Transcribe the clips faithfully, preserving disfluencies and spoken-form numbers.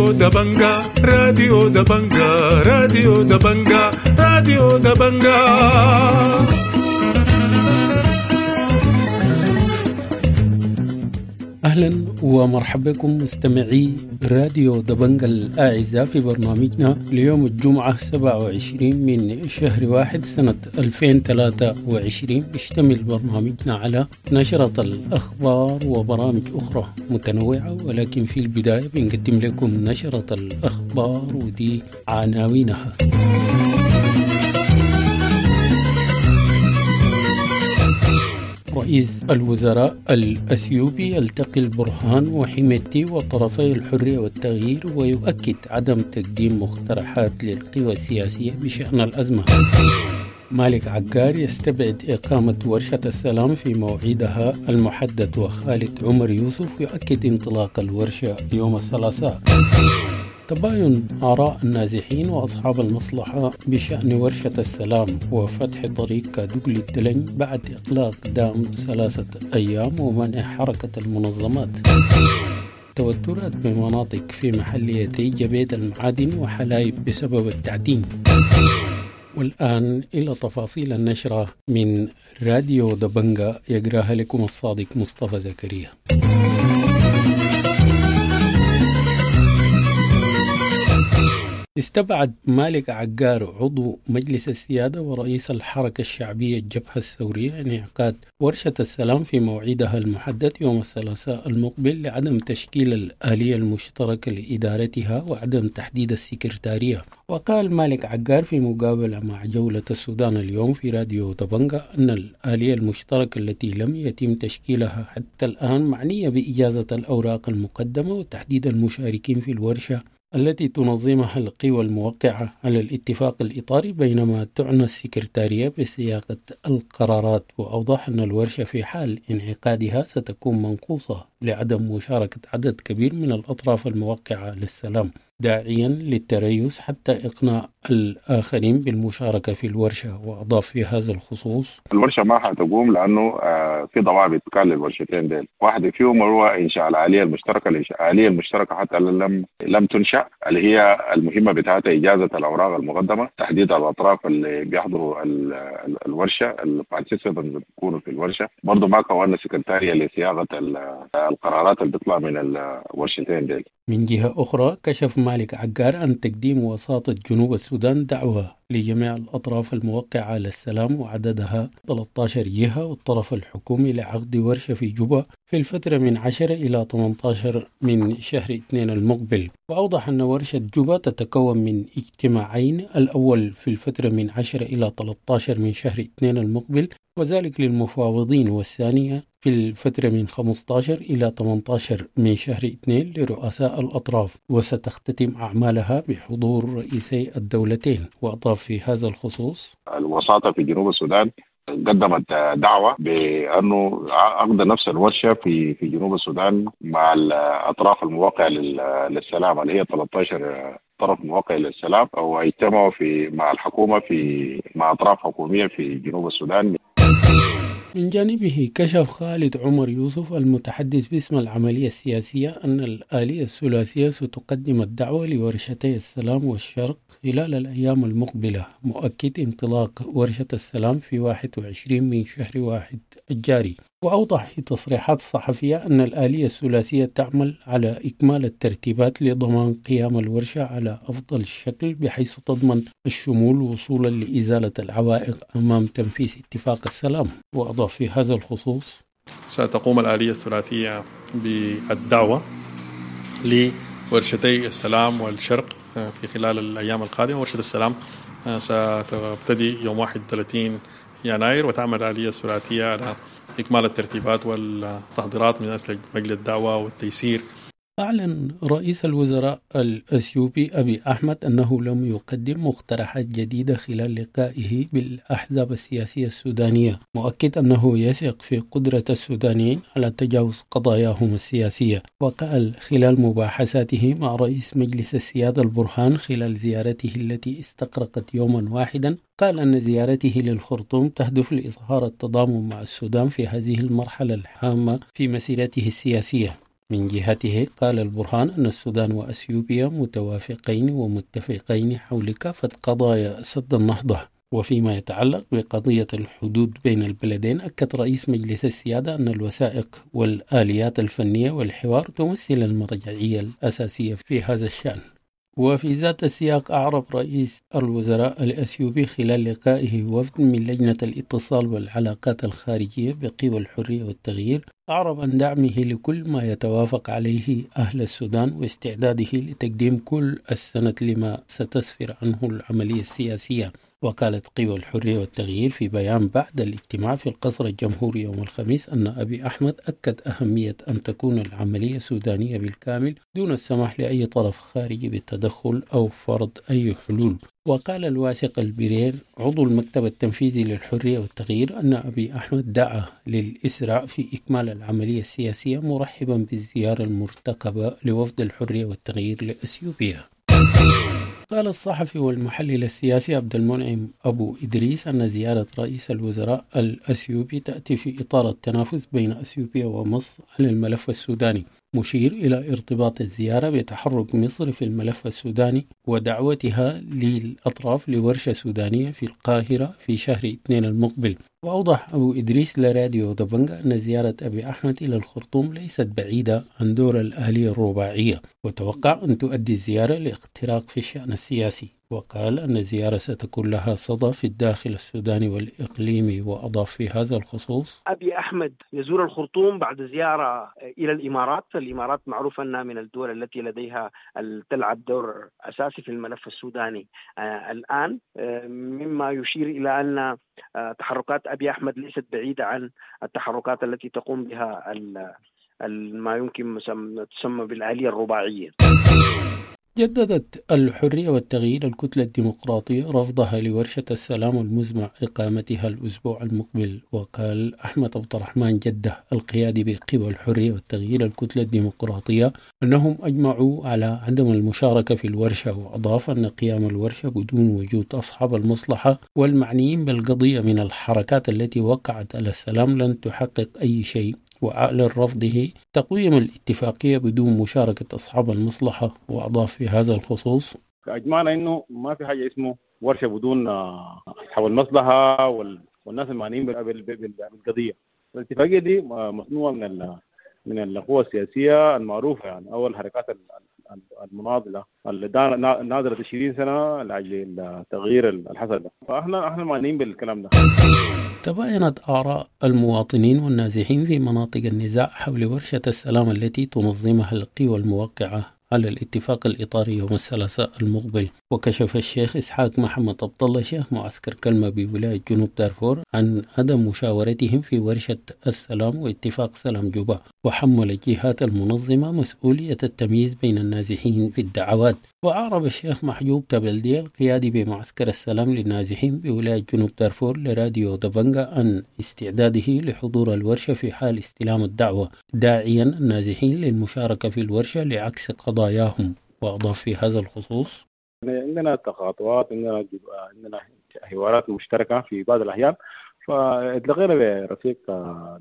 راديو دبنجا، راديو دبنجا، راديو دبنجا، راديو دبنجا. أهلا ومرحبا بكم مستمعي راديو دبنجا الأعزاء في برنامجنا ليوم الجمعة سبعة وعشرين من شهر واحد سنة ألفين وثلاثة وعشرين. يشتمل برنامجنا على نشرة الأخبار وبرامج أخرى متنوعة، ولكن في البداية بنقدم لكم نشرة الأخبار ودي عناوينها. رئيس الوزراء الأثيوبي يلتقي البرهان وحميدتي وطرفي الحرية والتغيير ويؤكد عدم تقديم مقترحات للقوى السياسية بشأن الأزمة. مالك عقار يستبعد إقامة ورشة السلام في موعدها المحدد، وخالد عمر يوسف يؤكد انطلاق الورشة يوم الثلاثاء. تباين آراء النازحين وأصحاب المصلحة بشأن ورشة السلام وفتح طريق كادوغلي الدلنج بعد إغلاق دام ثلاثة أيام ومنع حركة المنظمات. توترات بمناطق في محليتي جبيت المعادن وحلايب بسبب التعدين. والآن إلى تفاصيل النشرة من راديو دبنجا يقراها لكم الصادق مصطفى زكريا. استبعد مالك عقار عضو مجلس السيادة ورئيس الحركة الشعبية الجبهة الثورية انعقاد ورشة السلام في موعدها المحدد يوم الثلاثاء المقبل لعدم تشكيل الآلية المشتركة لإدارتها وعدم تحديد السكرتارية. وقال مالك عقار في مقابلة مع جولة السودان اليوم في راديو دبنجا أن الآلية المشتركة التي لم يتم تشكيلها حتى الآن معنية بإجازة الأوراق المقدمة وتحديد المشاركين في الورشة التي تنظمها القوى الموقعة على الاتفاق الإطاري، بينما تعنى السكرتارية بصياغة القرارات. وأوضح أن الورشة في حال انعقادها ستكون منقوصة لعدم مشاركة عدد كبير من الأطراف الموقعة للسلام، داعيا للتريث حتى إقناع الآخرين بالمشاركة في الورشة. وأضاف في هذا الخصوص: الورشة ما حتقوم لأنه في ضوابط كان للورشتين ديل، واحدة فيهم هو إنشاء الآلية المشتركة. الآلية المشتركة حتى لم لم تنشأ، اللي هي المهمة بتاعتها إجازة الأوراق المقدمة، تحديد الأطراف اللي بيحضروا الورشة، ال participants اللي بيكونوا في الورشة. برضه ما كونا سكرتارية لصياغة القرارات اللي بتطلع من الورشتين ديل. من جهة أخرى، كشف مالك عقار عن تقديم وساطة جنوب السودان دعوة لجميع الأطراف الموقعة على السلام وعددها ثلاثة عشر جهة والطرف الحكومي لعقد ورشة في جوبا في الفترة من عشرة إلى ثمانية عشر من شهر اثنين المقبل. وأوضح أن ورشة جوبا تتكون من اجتماعين، الأول في الفترة من عشرة إلى ثلاثة عشر من شهر اثنين المقبل وذلك للمفاوضين، والثانية في الفترة من خمسة عشر إلى ثمانية عشر من شهر اثنين لرؤساء الأطراف، وستختتم أعمالها بحضور رئيسي الدولتين. وأضاف في هذا الخصوص: الوساطة في جنوب السودان قدمت دعوة بأنه عقد نفس الورشة في في جنوب السودان مع الأطراف الموقعة للسلام اللي هي ثلاثة عشر طرف موقع للسلام، واجتمعوا في مع الحكومة في مع أطراف حكومية في جنوب السودان. من جانبه، كشف خالد عمر يوسف المتحدث باسم العملية السياسية أن الآلية الثلاثية ستقدم الدعوة لورشتي السلام والشرق خلال الأيام المقبلة، مؤكد انطلاق ورشة السلام في واحد وعشرين من شهر واحد الجاري. وأوضح في تصريحات صحفية أن الآلية الثلاثية تعمل على إكمال الترتيبات لضمان قيام الورشة على أفضل شكل بحيث تضمن الشمول وصولا لإزالة العوائق أمام تنفيذ اتفاق السلام. وأضاف في هذا الخصوص: ستقوم الآلية الثلاثية بالدعوة لورشتي السلام والشرق في خلال الأيام القادمة. ورشة السلام ستبتدي يوم واحد وثلاثين يناير، وتعمل الآلية الثلاثية على إكمال الترتيبات والتحضيرات من أجل مجل الدعوة والتيسير. أعلن رئيس الوزراء الأثيوبي أبي أحمد أنه لم يقدم مقترحات جديدة خلال لقائه بالأحزاب السياسية السودانية، مؤكد أنه يثق في قدرة السودانيين على تجاوز قضاياهم السياسية. وقال خلال مباحثاته مع رئيس مجلس السيادة البرهان خلال زيارته التي استغرقت يوما واحدا، قال أن زيارته للخرطوم تهدف لإظهار التضامن مع السودان في هذه المرحلة الهامة في مسيرته السياسية. من جهته قال البرهان أن السودان وأثيوبيا متوافقين ومتفقين حول كافة قضايا سد النهضة. وفيما يتعلق بقضية الحدود بين البلدين، أكد رئيس مجلس السيادة أن الوثائق والآليات الفنية والحوار تمثل المرجعية الأساسية في هذا الشأن. وفي ذات السياق أعرب رئيس الوزراء الأثيوبي خلال لقائه وفد من لجنة الاتصال والعلاقات الخارجية بقوى الحرية والتغيير، أعرب عن دعمه لكل ما يتوافق عليه أهل السودان واستعداده لتقديم كل السند لما ستسفر عنه العملية السياسية. وقالت قوى الحرية والتغيير في بيان بعد الاجتماع في القصر الجمهوري يوم الخميس أن أبي أحمد أكد أهمية أن تكون العملية سودانية بالكامل دون السماح لأي طرف خارجي بالتدخل أو فرض أي حلول. وقال الواثق البرير عضو المكتب التنفيذي للحرية والتغيير أن أبي أحمد دعا للإسراع في إكمال العملية السياسية، مرحبا بالزيارة المرتقبة لوفد الحرية والتغيير لأثيوبيا. قال الصحفي والمحلل السياسي عبد المنعم أبو إدريس أن زيارة رئيس الوزراء الأثيوبي تأتي في إطار التنافس بين أثيوبيا ومصر على الملف السوداني، مشير إلى ارتباط الزيارة بتحرك مصر في الملف السوداني ودعوتها للأطراف لورشة سودانية في القاهرة في شهر اثنين المقبل. وأوضح أبو إدريس لراديو دبنجا أن زيارة أبي أحمد إلى الخرطوم ليست بعيدة عن دور الآلية الرباعية، وتوقع أن تؤدي الزيارة لاختراق في الشأن السياسي. وقال أن الزيارة ستكون لها صدى في الداخل السوداني والإقليمي. وأضاف في هذا الخصوص: أبي أحمد يزور الخرطوم بعد زيارة إلى الإمارات. الإمارات معروف أنها من الدول التي لديها تلعب دور أساسي في الملف السوداني الآن، مما يشير إلى أن تحركات أبي أحمد ليست بعيدة عن التحركات التي تقوم بها ما يمكن تسمى بالآلية الرباعية. جددت الحرية والتغيير الكتلة الديمقراطية رفضها لورشة السلام المزمع إقامتها الأسبوع المقبل. وقال أحمد عبد الرحمن جدة القيادي بقوى الحرية والتغيير الكتلة الديمقراطية أنهم أجمعوا على عدم المشاركة في الورشة، وأضاف أن قيام الورشة بدون وجود أصحاب المصلحة والمعنيين بالقضية من الحركات التي وقعت على السلام لن تحقق أي شيء. وأعلن رفضه تقويم الاتفاقية بدون مشاركة أصحاب المصلحة. وأضاف في هذا الخصوص: أجمعنا إنه ما في حاجة اسمه ورشة بدون أصحاب المصلحة والناس المعنيين بالقضية. الاتفاقية دي مصنوعة من من القوى السياسية المعروفة، يعني أو الحركات المناضلة اللي ناضلت عشرين سنة لأجل التغيير الحصل ده، فإحنا إحنا معنيين بالكلام ده. تباينت آراء المواطنين والنازحين في مناطق النزاع حول ورشة السلام التي تنظمها القوى الموقعة على الاتفاق الإطاري يوم الثلاثاء المقبل. وكشف الشيخ إسحاق محمد عبد الله شيخ معسكر كلمة بولاية جنوب دارفور عن عدم مشاورتهم في ورشة السلام واتفاق سلام جوبا، وحمل الجهات المنظمة مسؤولية التمييز بين النازحين في الدعوات. وأعرب الشيخ محجوب تبلدي القيادي بمعسكر السلام للنازحين بولاية جنوب دارفور لراديو دبنجا عن استعداده لحضور الورشة في حال استلام الدعوة، داعيا النازحين للمشاركة في الورشة لعكس قضاياهم. وأضاف في هذا الخصوص: عندنا تقاطعات، عندنا عندنا حوارات مشتركة في بعض الأحيان، فاتلقينا برفيق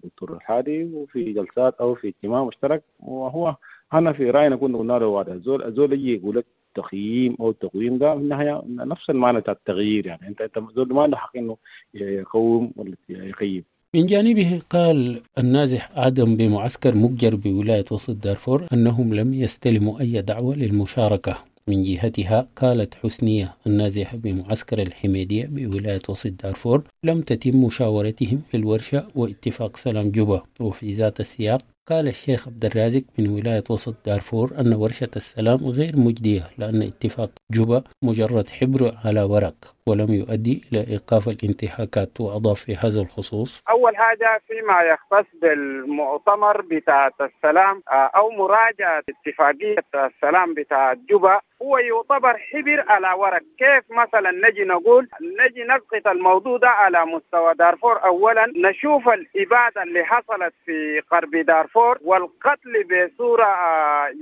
دكتور الحادي وفي جلسات أو في اجتماع مشترك، وهو أنا في رأينا كنا قلنا له هذا الزول الزول يجي يقول لك تقييم أو التقويم ده في النهاية نفس المعنى بتاع التغيير، يعني أنت أنت زول ما عنده حق إنه يقوم ولا يقيم. من جانبه قال النازح آدم بمعسكر مجر بولاية وسط دارفور أنهم لم يستلموا أي دعوة للمشاركة. من جهتها قالت حسنية النازحة بمعسكر الحميدية بولاية وسط دارفور لم تتم مشاورتهم في الورشة واتفاق سلام جوبا. وفي ذات السياق قال الشيخ عبد الرازق من ولاية وسط دارفور أن ورشة السلام غير مجدية لأن اتفاق جوبا مجرد حبر على ورق ولم يؤدي إلى إيقاف الانتهاكات. وأضاف في هذا الخصوص: أول حاجة فيما يختص بالمؤتمر بتاع السلام أو مراجعة اتفاقية السلام بتاع جوبا هو يعتبر حبر على ورق. كيف مثلا نجي نقول نجي نسقط الموضوع ده على مستوى دارفور؟ أولا نشوف الإبادة اللي حصلت في غرب دارفور والقتل بصورة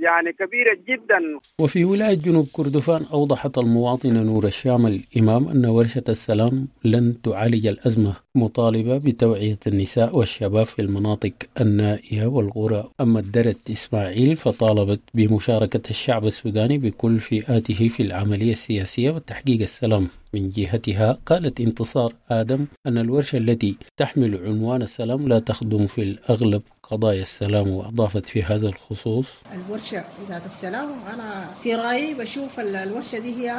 يعني كبيرة جدا. وفي ولاية جنوب كردفان أوضحت المواطنة نور الشام الإمام أن ورشة السلام لن تعالج الأزمة، مطالبة بتوعية النساء والشباب في المناطق النائية والقرى. أما الدرت إسماعيل فطالبت بمشاركة الشعب السوداني بكل فئاته في العملية السياسية وتحقيق السلام. من جهتها قالت انتصار آدم أن الورشة التي تحمل عنوان السلام لا تخدم في الأغلب قضايا السلام، وأضافت في هذا الخصوص: الورشة بتاعت السلام أنا في رأيي بشوف الورشة دي هي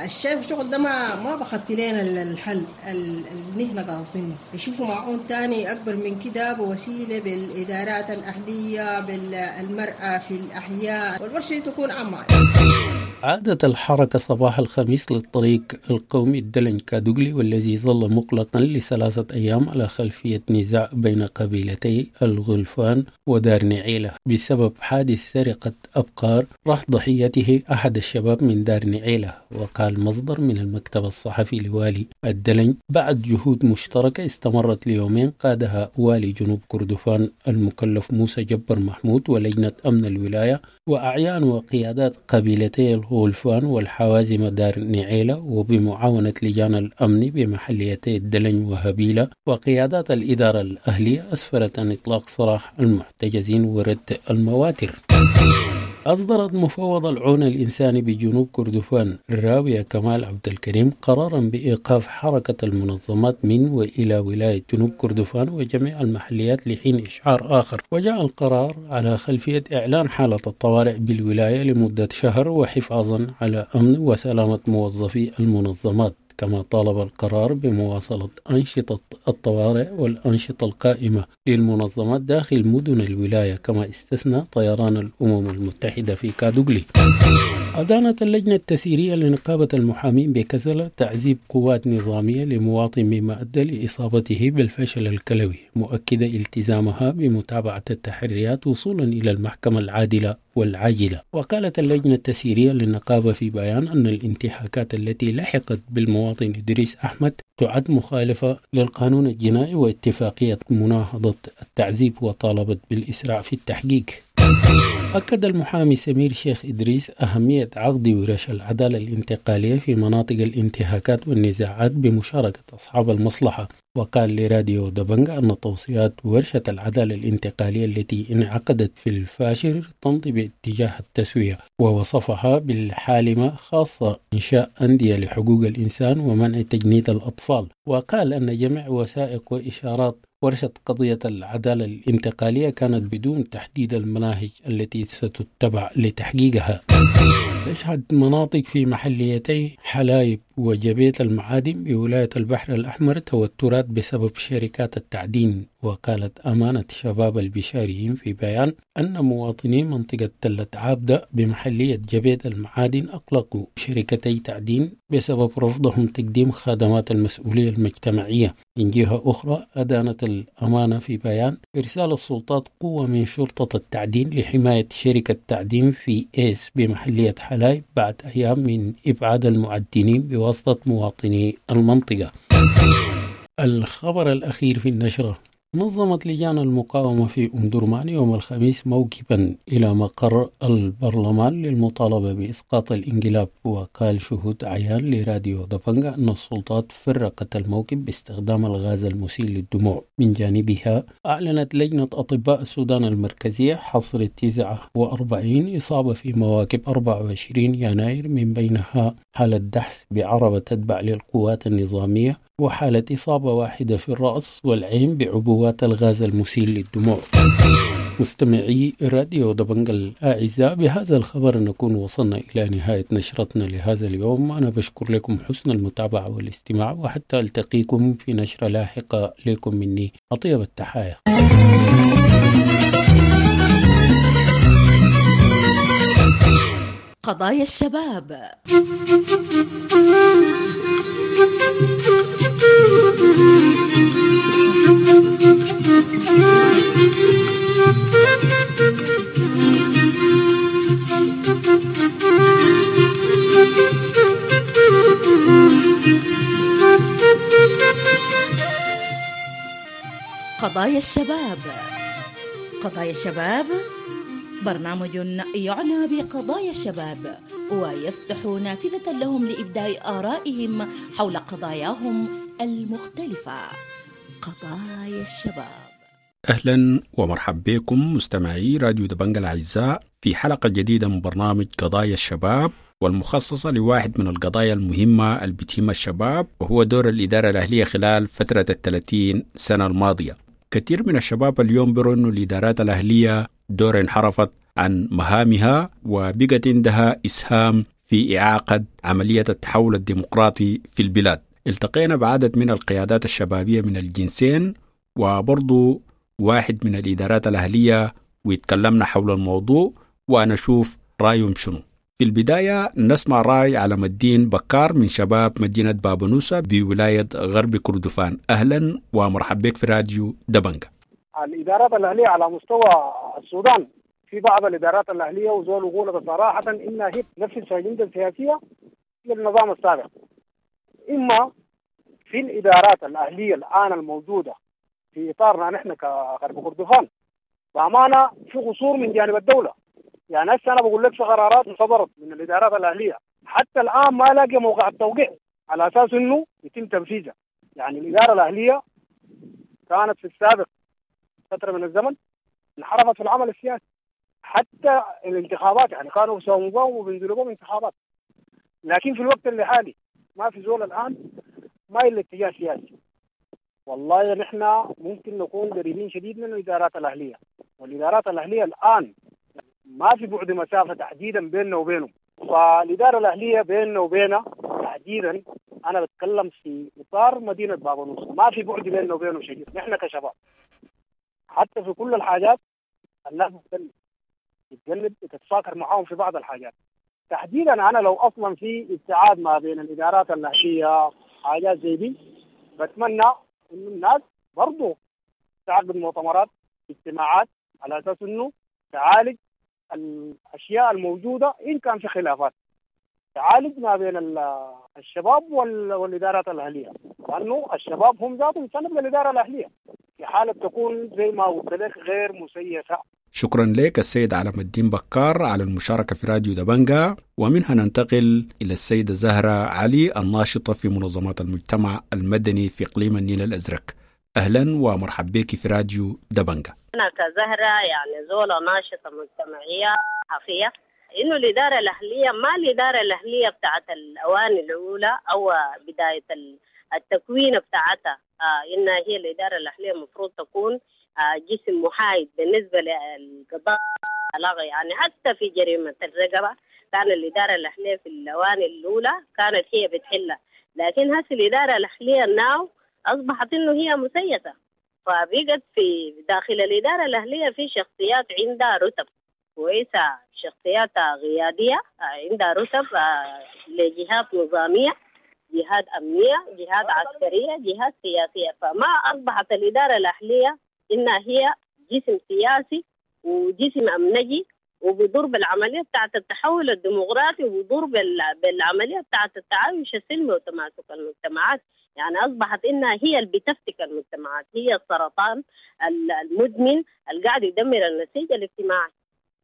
الشايف الشغل ده ما ما بخطي لنا الحل اللي نحن قاصدينه، يشوفوا معون تاني أكبر من كده بوسيلة بالإدارات الأهلية بالمرأة في الأحياء، والورشة دي تكون عامة. عادت الحركة صباح الخميس للطريق القومي الدلن كادوغلي، والذي ظل مغلقا لثلاثة أيام على خلفية نزاع بين قبيلتي الغلفان ودار نعيلة بسبب حادث سرقة أبقار راح ضحيته أحد الشباب من دار نعيلة. وقال مصدر من المكتب الصحفي لوالي الدلن بعد جهود مشتركة استمرت ليومين قادها والي جنوب كردفان المكلف موسى جبر محمود ولجنة أمن الولاية وأعيان وقيادات قبيلتي الغلفان والحوازم دار نعيلة، وبمعاونة لجان الأمن بمحليتي الدلن وهبيلة وقيادات الإدارة الأهلية، أسفرت عن إطلاق سراح المحتجزين ورد المواتر. أصدرت مفوض العون الإنساني بجنوب كردفان الراوية كمال عبد الكريم قرارا بإيقاف حركة المنظمات من وإلى ولاية جنوب كردفان وجميع المحليات لحين إشعار آخر. وجاء القرار على خلفية إعلان حالة الطوارئ بالولاية لمدة شهر وحفاظا على أمن وسلامة موظفي المنظمات. كما طالب القرار بمواصلة أنشطة الطوارئ والأنشطة القائمة للمنظمات داخل مدن الولاية، كما استثنى طيران الأمم المتحدة في كادوغلي. أدانت اللجنة التسييرية لنقابة المحامين بكسلة تعذيب قوات نظامية لمواطن مما أدى لإصابته بالفشل الكلوي، مؤكدة التزامها بمتابعة التحريات وصولا إلى المحكمة العادلة والعاجلة. وقالت اللجنة التسييرية للنقابة في بيان أن الانتهاكات التي لحقت بالمواطن إدريس أحمد تعد مخالفة للقانون الجنائي واتفاقية مناهضة التعذيب، وطالبت بالإسراع في التحقيق. أكد المحامي سمير شيخ إدريس أهمية عقد ورش العدالة الانتقالية في مناطق الانتهاكات والنزاعات بمشاركة أصحاب المصلحة. وقال لراديو دبنجا أن توصيات ورشة العدالة الانتقالية التي انعقدت في الفاشر تمضي باتجاه التسوية، ووصفها بالحالمة، خاصة إنشاء أندية لحقوق الإنسان ومنع تجنيد الأطفال. وقال أن جميع وثائق وإشارات ورشة قضية العدالة الانتقالية كانت بدون تحديد المناهج التي ستتبع لتحقيقها. تشهد مناطق في محليتي حلايب وجبيت المعادن بولاية البحر الأحمر توترات بسبب شركات التعدين. وقالت أمانة شباب البشاريين في بيان أن مواطني منطقة تلة عابدة بمحلية جبيت المعادن أقلقوا شركتي تعدين بسبب رفضهم تقديم خدمات المسؤولية المجتمعية. من جهة أخرى أدانت الأمانة في بيان إرسال السلطات قوة من شرطة التعدين لحماية شركة تعدين في إيس بمحلية حلايب بعد أيام من إبعاد المعدنين بواسطة مواطني المنطقة. الخبر الأخير في النشرة: نظمت لجان المقاومة في أم درمان يوم الخميس موكبا إلى مقر البرلمان للمطالبة بإسقاط الانقلاب. وقال شهود عيان لراديو دبنجا أن السلطات فرقت الموكب باستخدام الغاز المسيل للدموع. من جانبها أعلنت لجنة أطباء السودان المركزية حصر تسعة وأربعين إصابة في مواكب أربعة وعشرين يناير، من بينها حالة دحس بعربة تتبع للقوات النظامية وحالة إصابة واحدة في الرأس والعين بعبوات الغاز المسيل للدموع. مستمعي راديو دبنجا الأعزاء، بهذا الخبر نكون وصلنا إلى نهاية نشرتنا لهذا اليوم. أنا بشكر لكم حسن المتابعة والاستماع، وحتى ألتقيكم في نشرة لاحقة. لكم مني أطيب التحايا. قضايا الشباب. قضايا الشباب. قضايا الشباب برنامج يعنى بقضايا الشباب ويفتح نافذة لهم لإبداء آرائهم حول قضاياهم المختلفة. قضايا الشباب. أهلا ومرحبا بكم مستمعي راديو دبنجا الأعزاء في حلقة جديدة من برنامج قضايا الشباب، والمخصصة لواحد من القضايا المهمة اللي بتهم الشباب، وهو دور الإدارة الأهلية خلال فترة الثلاثين سنة الماضية. كثير من الشباب اليوم بيروا أنه الإدارات الأهلية دور انحرفت عن مهامها وبقت عندها إسهام في إعاقة عملية التحول الديمقراطي في البلاد. التقينا بعدد من القيادات الشبابية من الجنسين وبرضو واحد من الإدارات الأهلية، ويتكلمنا حول الموضوع ونشوف رأيهم شنو. في البداية نسمع رأي علم الدين بكار من شباب مدينة بابنوسة بولاية غرب كردفان. أهلا ومرحبا بك في راديو دبنجا. الإدارات الأهلية على مستوى السودان، في بعض الإدارات الأهلية وزول يقول بصراحة إنها هي نفس الأجندة السياسية للنظام السابق. إما في الإدارات الأهلية الآن الموجودة في إطارنا نحن كغرب كردفان بأمانة في قصور من جانب الدولة. يعني هسه أنا بقول لك في قرارات صدرت من الإدارات الأهلية حتى الآن ما لاقي موقع التوقيع على أساس إنه يتم تنفيذها. يعني الإدارة الأهلية كانت في السابق فترة من الزمن انحرفت في العمل السياسي، حتى الانتخابات يعني كانوا بيساوموا وبينزلوا بهم انتخابات، لكن في الوقت اللي حالي ما في زول الآن مايل لاتجاه سياسي. والله نحن ممكن نكون قريبين شديد من الإدارات الأهلية، والإدارات الأهلية الآن ما في بعد مسافة تحديدا بيننا وبينهم. فالإدارة الأهلية بيننا وبينها تحديدا، أنا بتكلم في إطار مدينة بابنوس، ما في بعد بيننا وبينه شديد. نحن كشباب حتى في كل الحاجات الناس بتتجنب بتتجنب تتفاكر معاهم في بعض الحاجات. تحديدا أنا لو أصلا في ابتعاد ما بين الإدارات الأهلية حاجات زي دي، بتمنى إنه الناس برضو تعقد مؤتمرات اجتماعات على أساس إنه تعالج الأشياء الموجودة إن كان في خلافات، تعالج ما بين الشباب والإدارات الأهلية، لأنه الشباب هم ذاتهم سند للإدارة الأهلية في حالة تكون زي ما قلت لك غير مسيسة. شكرا لك السيد علم الدين بكار على المشاركة في راديو دبنجا. ومنها ننتقل إلى السيدة زهرة علي الناشطة في منظمات المجتمع المدني في إقليم النيل الأزرق. أهلا ومرحبا بك في راديو دبنجا. أنا كزهرة يعني زولة ناشطة مجتمعية صحفية، إنه الإدارة الأهلية ما الإدارة الأهلية بتاعت الأواني الأولى أو بداية التكوين بتاعتها، آه إنها هي الإدارة الأهلية المفروض تكون آه جسم محايد بالنسبة للقضاء. يعني حتى في جريمة الرقبة كان الإدارة الأهلية في الأواني الأولى كانت هي بتحلها، لكن هسه الإدارة الأهلية ناو أصبحت إنه هي مسيسة، فبقت في داخل الإدارة الأهلية في شخصيات عندها رتب كويسة، شخصيات قيادية عندها رتب لجهات نظامية، جهات أمنية، جهات عسكرية، جهات سياسية. فما أصبحت الإدارة الأهلية إنها هي جسم سياسي وجسم أمنجي، وبيضر بالعملية بتاعت التحول الديمقراطي، وبيضر بالعملية بتاعت التعايش السلمي وتماسك المجتمعات. يعني أصبحت إنها هي اللي بتفتك المجتمعات، هي السرطان المدمن اللي قاعد يدمر النسيج الاجتماعي.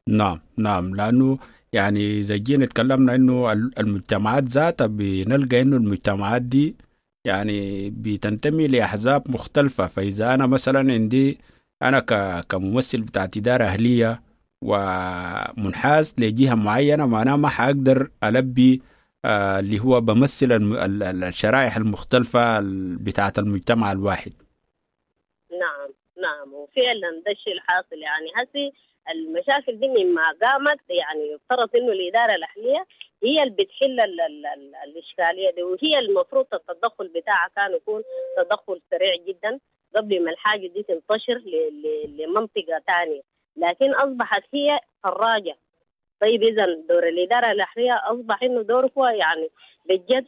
نعم نعم، لأنه يعني زي جينا تكلمنا إنه المجتمعات ذاتها بنلقى إنه المجتمعات دي يعني بتنتمي لأحزاب مختلفة. فإذا أنا مثلا عندي أنا كممثل بتاعت إدارة أهلية ومنحاز لجهة معينة، معناه ما حأقدر ألبي آه اللي هو بمثل الشرائح المختلفة بتاعت المجتمع الواحد. نعم نعم، وفعلا ده الشيء الحاصل. يعني هسي المشاكل دي مما قامت يعني يفترض انه الإدارة الأهلية هي اللي بتحل ال ال ال الإشكالية دي، وهي المفروض التدخل بتاعها كان يكون تدخل سريع جدا قبل ما الحاجة دي تنتشر لمنطقة تانية، لكن أصبحت هي فراجة. طيب إذا دور الإدارة الأهلية أصبح إنه دور هو يعني بجد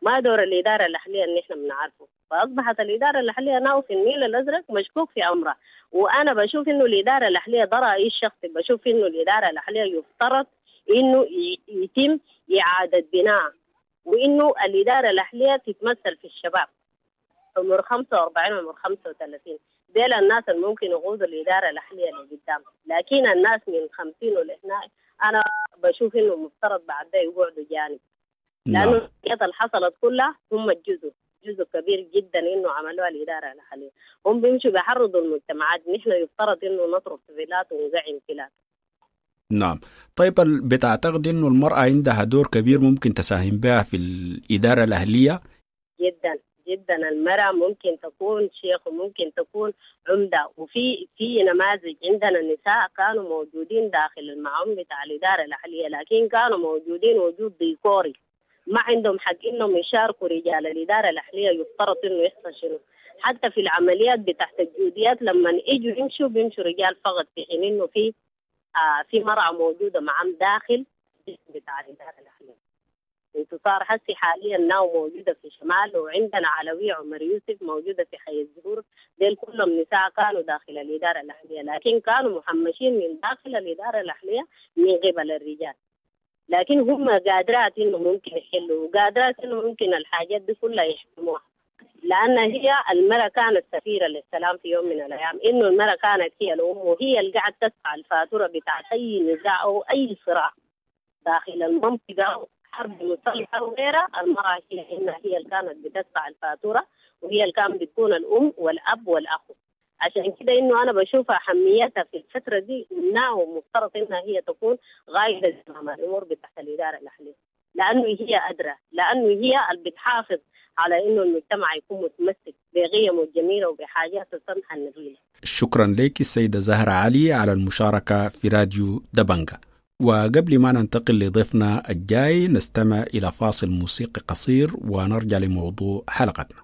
ما دور الإدارة الأهلية اللي إحنا بنعرفه. فأصبحت الإدارة الأهلية now في النيل الأزرق مشكوك في أمرها. وأنا بشوف إنه الإدارة الأهلية ده رأيي الشخصي، بشوف إنه الإدارة الأهلية يفترض إنه يتم إعادة بناء، وإنه الإدارة الأهلية تتمثل في الشباب عمر خمسة وأربعين عمر خمسة وثلاثين، ديل الناس اللي ممكن يقودوا الإدارة الأهلية اللي قدام. لكن الناس من خمسين ولهنا أنا بشوف إنه مفترض بعد ده يقعدوا جانب، لأنه الحاجات اللي حصلت كلها هم الجزء جزء كبير جدا إنه عملوها الإدارة الأهلية. هم بيمشوا بيحرضوا المجتمعات، نحن يفترض إنه نطرف فيلات ونزعم فيلات. نعم. طيب بتعتقد إنه المرأة عندها دور كبير ممكن تساهم بها في الإدارة الأهلية؟ جدا جدا، المرأة ممكن تكون شيخ وممكن تكون عمدة، وفي في نماذج عندنا نساء كانوا موجودين داخل المعون بتاع الإدارة الأهلية، لكن كانوا موجودين وجود ديكوري، ما عندهم حق إنهم يشاركوا رجال الإدارة الأهلية. يفترض إنه يحصل شنو حتى في العمليات بتاعت الجوديات، لما يجوا يمشوا بيمشوا رجال فقط، في حين إنه في آه في مرأة موجودة معهم داخل بتاع الإدارة الأهلية. انتصار حسي حاليا ناو موجودة في شمال، وعندنا علوية عمر يوسف موجودة في حي الزهور، ديل كلهم نساء كانوا داخل الإدارة الأهلية، لكن كانوا محمشين من داخل الإدارة الأهلية من قبل الرجال، لكن هم قادرات إنه ممكن يحلوا، وقادرات إنه ممكن الحاجات دي كلها يحكموها، لأن هي المرأة كانت سفيرة للسلام في يوم من الأيام، إنه المرأة كانت هي الأم وهي اللي قاعدة تدفع الفاتورة بتاعت أي نزاع أو أي صراع داخل المنطقة، حرب مسلحة وغيرها. المرأة هي إنها هي اللي كانت بتدفع الفاتورة، وهي اللي كانت بتكون الأم والأب والأخ. عشان كده إنه أنا بشوف أهميتها في الفترة دي، إنها ومفترض إنها هي تكون غايدة زمام الأمور بتاعت الإدارة الأهلية، لأنه هي أدرى، لأنه هي اللي بتحافظ على إنه المجتمع يكون متمسك بقيمه الجميلة وبحاجاته السمحة النبيلة. شكرا لك السيدة زهرة علي على المشاركة في راديو دبنجة. وقبل ما ننتقل لضيفنا الجاي نستمع إلى فاصل موسيقي قصير ونرجع لموضوع حلقتنا.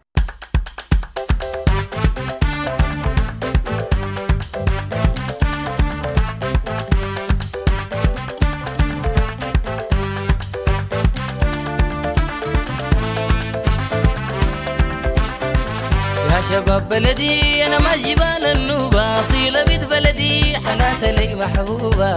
يا شباب بلدي أنا ما جبال النوبة، أصيلة بيت بلدي حنات لي محبوبة.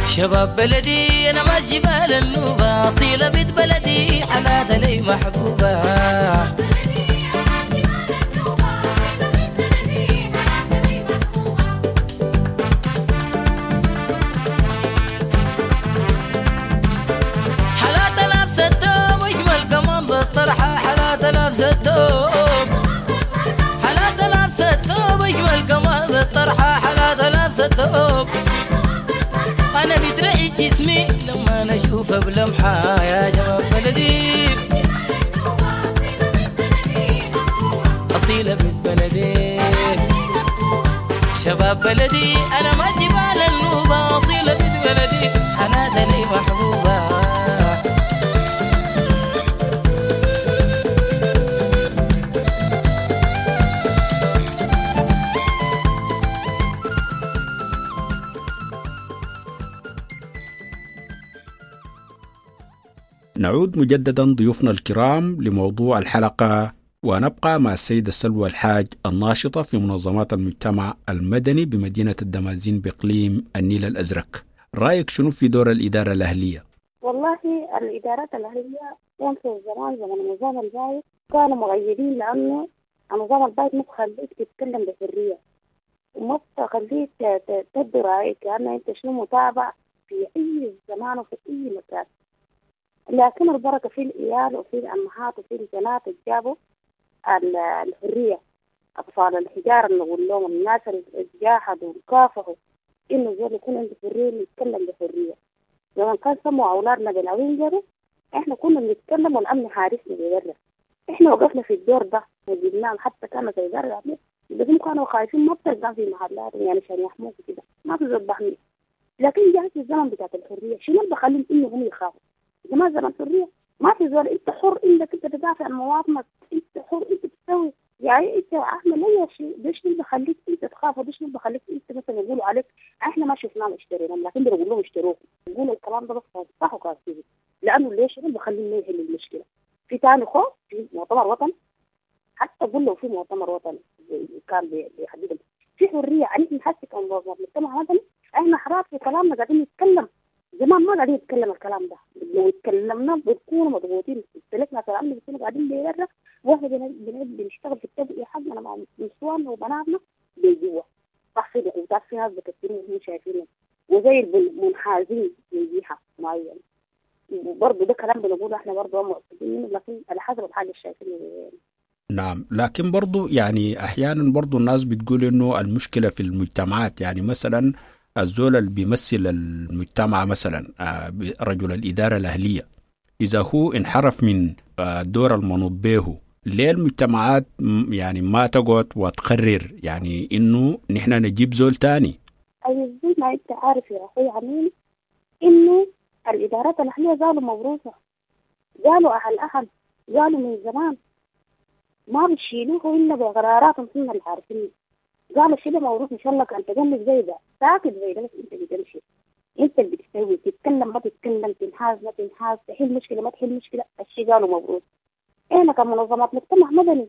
شباب بلدي أنا ما جبال النوبة، أصيلة بيت بلدي حنات لي محبوبة. حالات لابسة الثوب أجمل كمان بالطرحة، حالات لابسة الثوب، حالات لابسة الثوب أجمل كمان بالطرحة، حالات لابسة الثوب. أنا بترعي جسمي لما أنا أشوفها بلمحة. يا شباب بلدي أصيلة بنت بلدي، شباب بلدي أنا ما جبال النوبة، أصيلة بنت بلدي حناتها لي محبوبة. نعود مجددا ضيوفنا الكرام لموضوع الحلقة، ونبقى مع السيدة سلوى الحاج الناشطة في منظمات المجتمع المدني بمدينة الدمازين بإقليم النيل الأزرق. رأيك شنو في دور الإدارة الأهلية؟ والله الإدارات الأهلية كان في الزمان زمن النظام البايد كانوا مغيرين، لأنه النظام البايد ما بخليك تتكلم بحرية وما بخليك تبدي رأيك، لأنه أنت شنو متابع في أي زمان وفي أي مكان. لكن البركة في الإيال وفي الأمهات وفي البنات اللي جابوا الحرية، أطفال الحجارة اللي نقول لهم، الناس اللي جاهدوا وكافحوا إنه زول يكون عنده حرية يتكلم بحرية. لما كان سموا أولادنا بالعوينجري إحنا كنا بنتكلم والأمن حارسنا بيدرس، إحنا وقفنا في الدور ده وجبناهم، حتى كانوا في الدار بس كانوا خايفين ما بتلقى في محلات يعني عشان يحموك كده، ما في زول بحمي. لكن جاءت الزمن بتاعت الحرية، شنو اللي بخليهم إنهم هم يخافوا؟ ما زمن حرية، ما في زول، انت حر انك انت تدافع عن مواطنك، انت حر انت تسوي، يعني انت اعمل اي شيء. ليش اللي بخليك انت تخاف؟ وليش اللي بخليك انت مثلا يقولوا عليك احنا ما شفناهم اشتريناهم، لكن بنقول لهم اشتروه، يقولوا الكلام ده بس صح وكافي، لانه ليش اللي بخليهم يحلوا المشكله؟ في ثاني خوف في مؤتمر وطني، حتى قول له في مؤتمر وطني كان بيحدد في حريه. يعني نحس كمجتمع مدني احنا حرار في كلامنا، قاعدين نتكلم زمان ما قاعدين نتكلم الكلام ده، لو اتكلمنا بنكون مضغوطين، استلفنا كلامنا بنكون قاعدين برا، واحنا بنشتغل في التبقية حقنا مع نسواننا وبناتنا جوا، صح في ضغوطات، في ناس بكترين هم شايفينهم وزي المنحازين من جهة معينة. برضه ده كلام بنقوله احنا برضه مؤكدين، لكن على حسب الحاجة شايفينها. نعم، لكن برضو يعني أحيانا برضو الناس بتقول إنه المشكلة في المجتمعات، يعني مثلا الزول اللي بيمثل المجتمع مثلا رجل الإدارة الأهلية إذا هو انحرف من الدور المنوط به، ليه المجتمعات يعني ما تقعد وتقرر يعني إنه نحن نجيب زول تاني؟ أي زي ما أنت عارف يا أخوي عمين إنه الإدارات الأهلية زالوا مبروسة، زالوا أهل أهل، زالوا من زمان ما بتشيلوه إلا بقراراتهم هم اللي عارفين. قالوا الشيء ده موروث إن شاء الله كان تجنب زي ده ساكت زي ده، بس أنت بتمشي، أنت اللي بتسوي، تتكلم ما تتكلم، تنحاز ما تنحاز، تحل مشكلة ما تحل مشكلة، الشيء قالوا مبروس. إحنا كمنظمات مجتمع مدني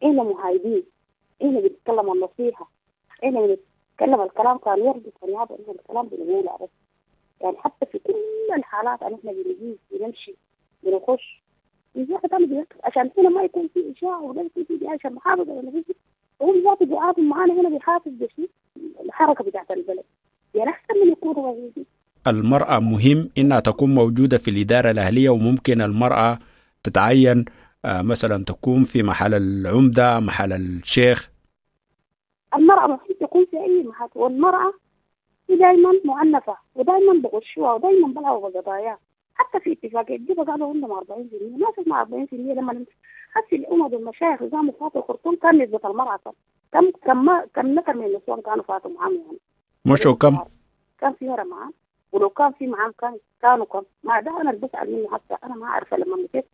إحنا مهايدين، إحنا بنتكلم النصيحة، إحنا بنتكلم الكلام كان يرضي كان يعطي، إحنا الكلام بنقوله بس يعني حتى في كل الحالات إحنا بنجي بنمشي بنخش عشان هنا ما يكون في إشاعة ولا يكون في عشان محافظة ولا في، وهم ذاته بيعاطوا معانا هنا بيحافظ بشيء الحركة بتاعت البلد، يعني أحسن من يكونوا موجودين. المرأة مهم إنها تكون موجودة في الإدارة الأهلية، وممكن المرأة تتعين مثلا تكون في محل العمدة، محل الشيخ. المرأة مهم تكون في أي محل، والمرأة دائما معنفة ودائما بغشوها ودائما بلعبوا بقضاياها. حتى في اتفاقية جوبا قالوا عندهم أربعين بالمئة، ما شفنا أربعين بالمئة لما حسي الأمم والمشايخ قاموا فاتوا الخرطوم كان نسبة المرأة كم كم كم نفر من النسوان كانوا فاتوا معاهم يعني. مشوا كم؟ كان في مرة معاهم، ولو كان في معاهم كان كانوا كم؟ ما ده أنا اللي بسأل منه حتى أنا ما عارفة. لما مشيت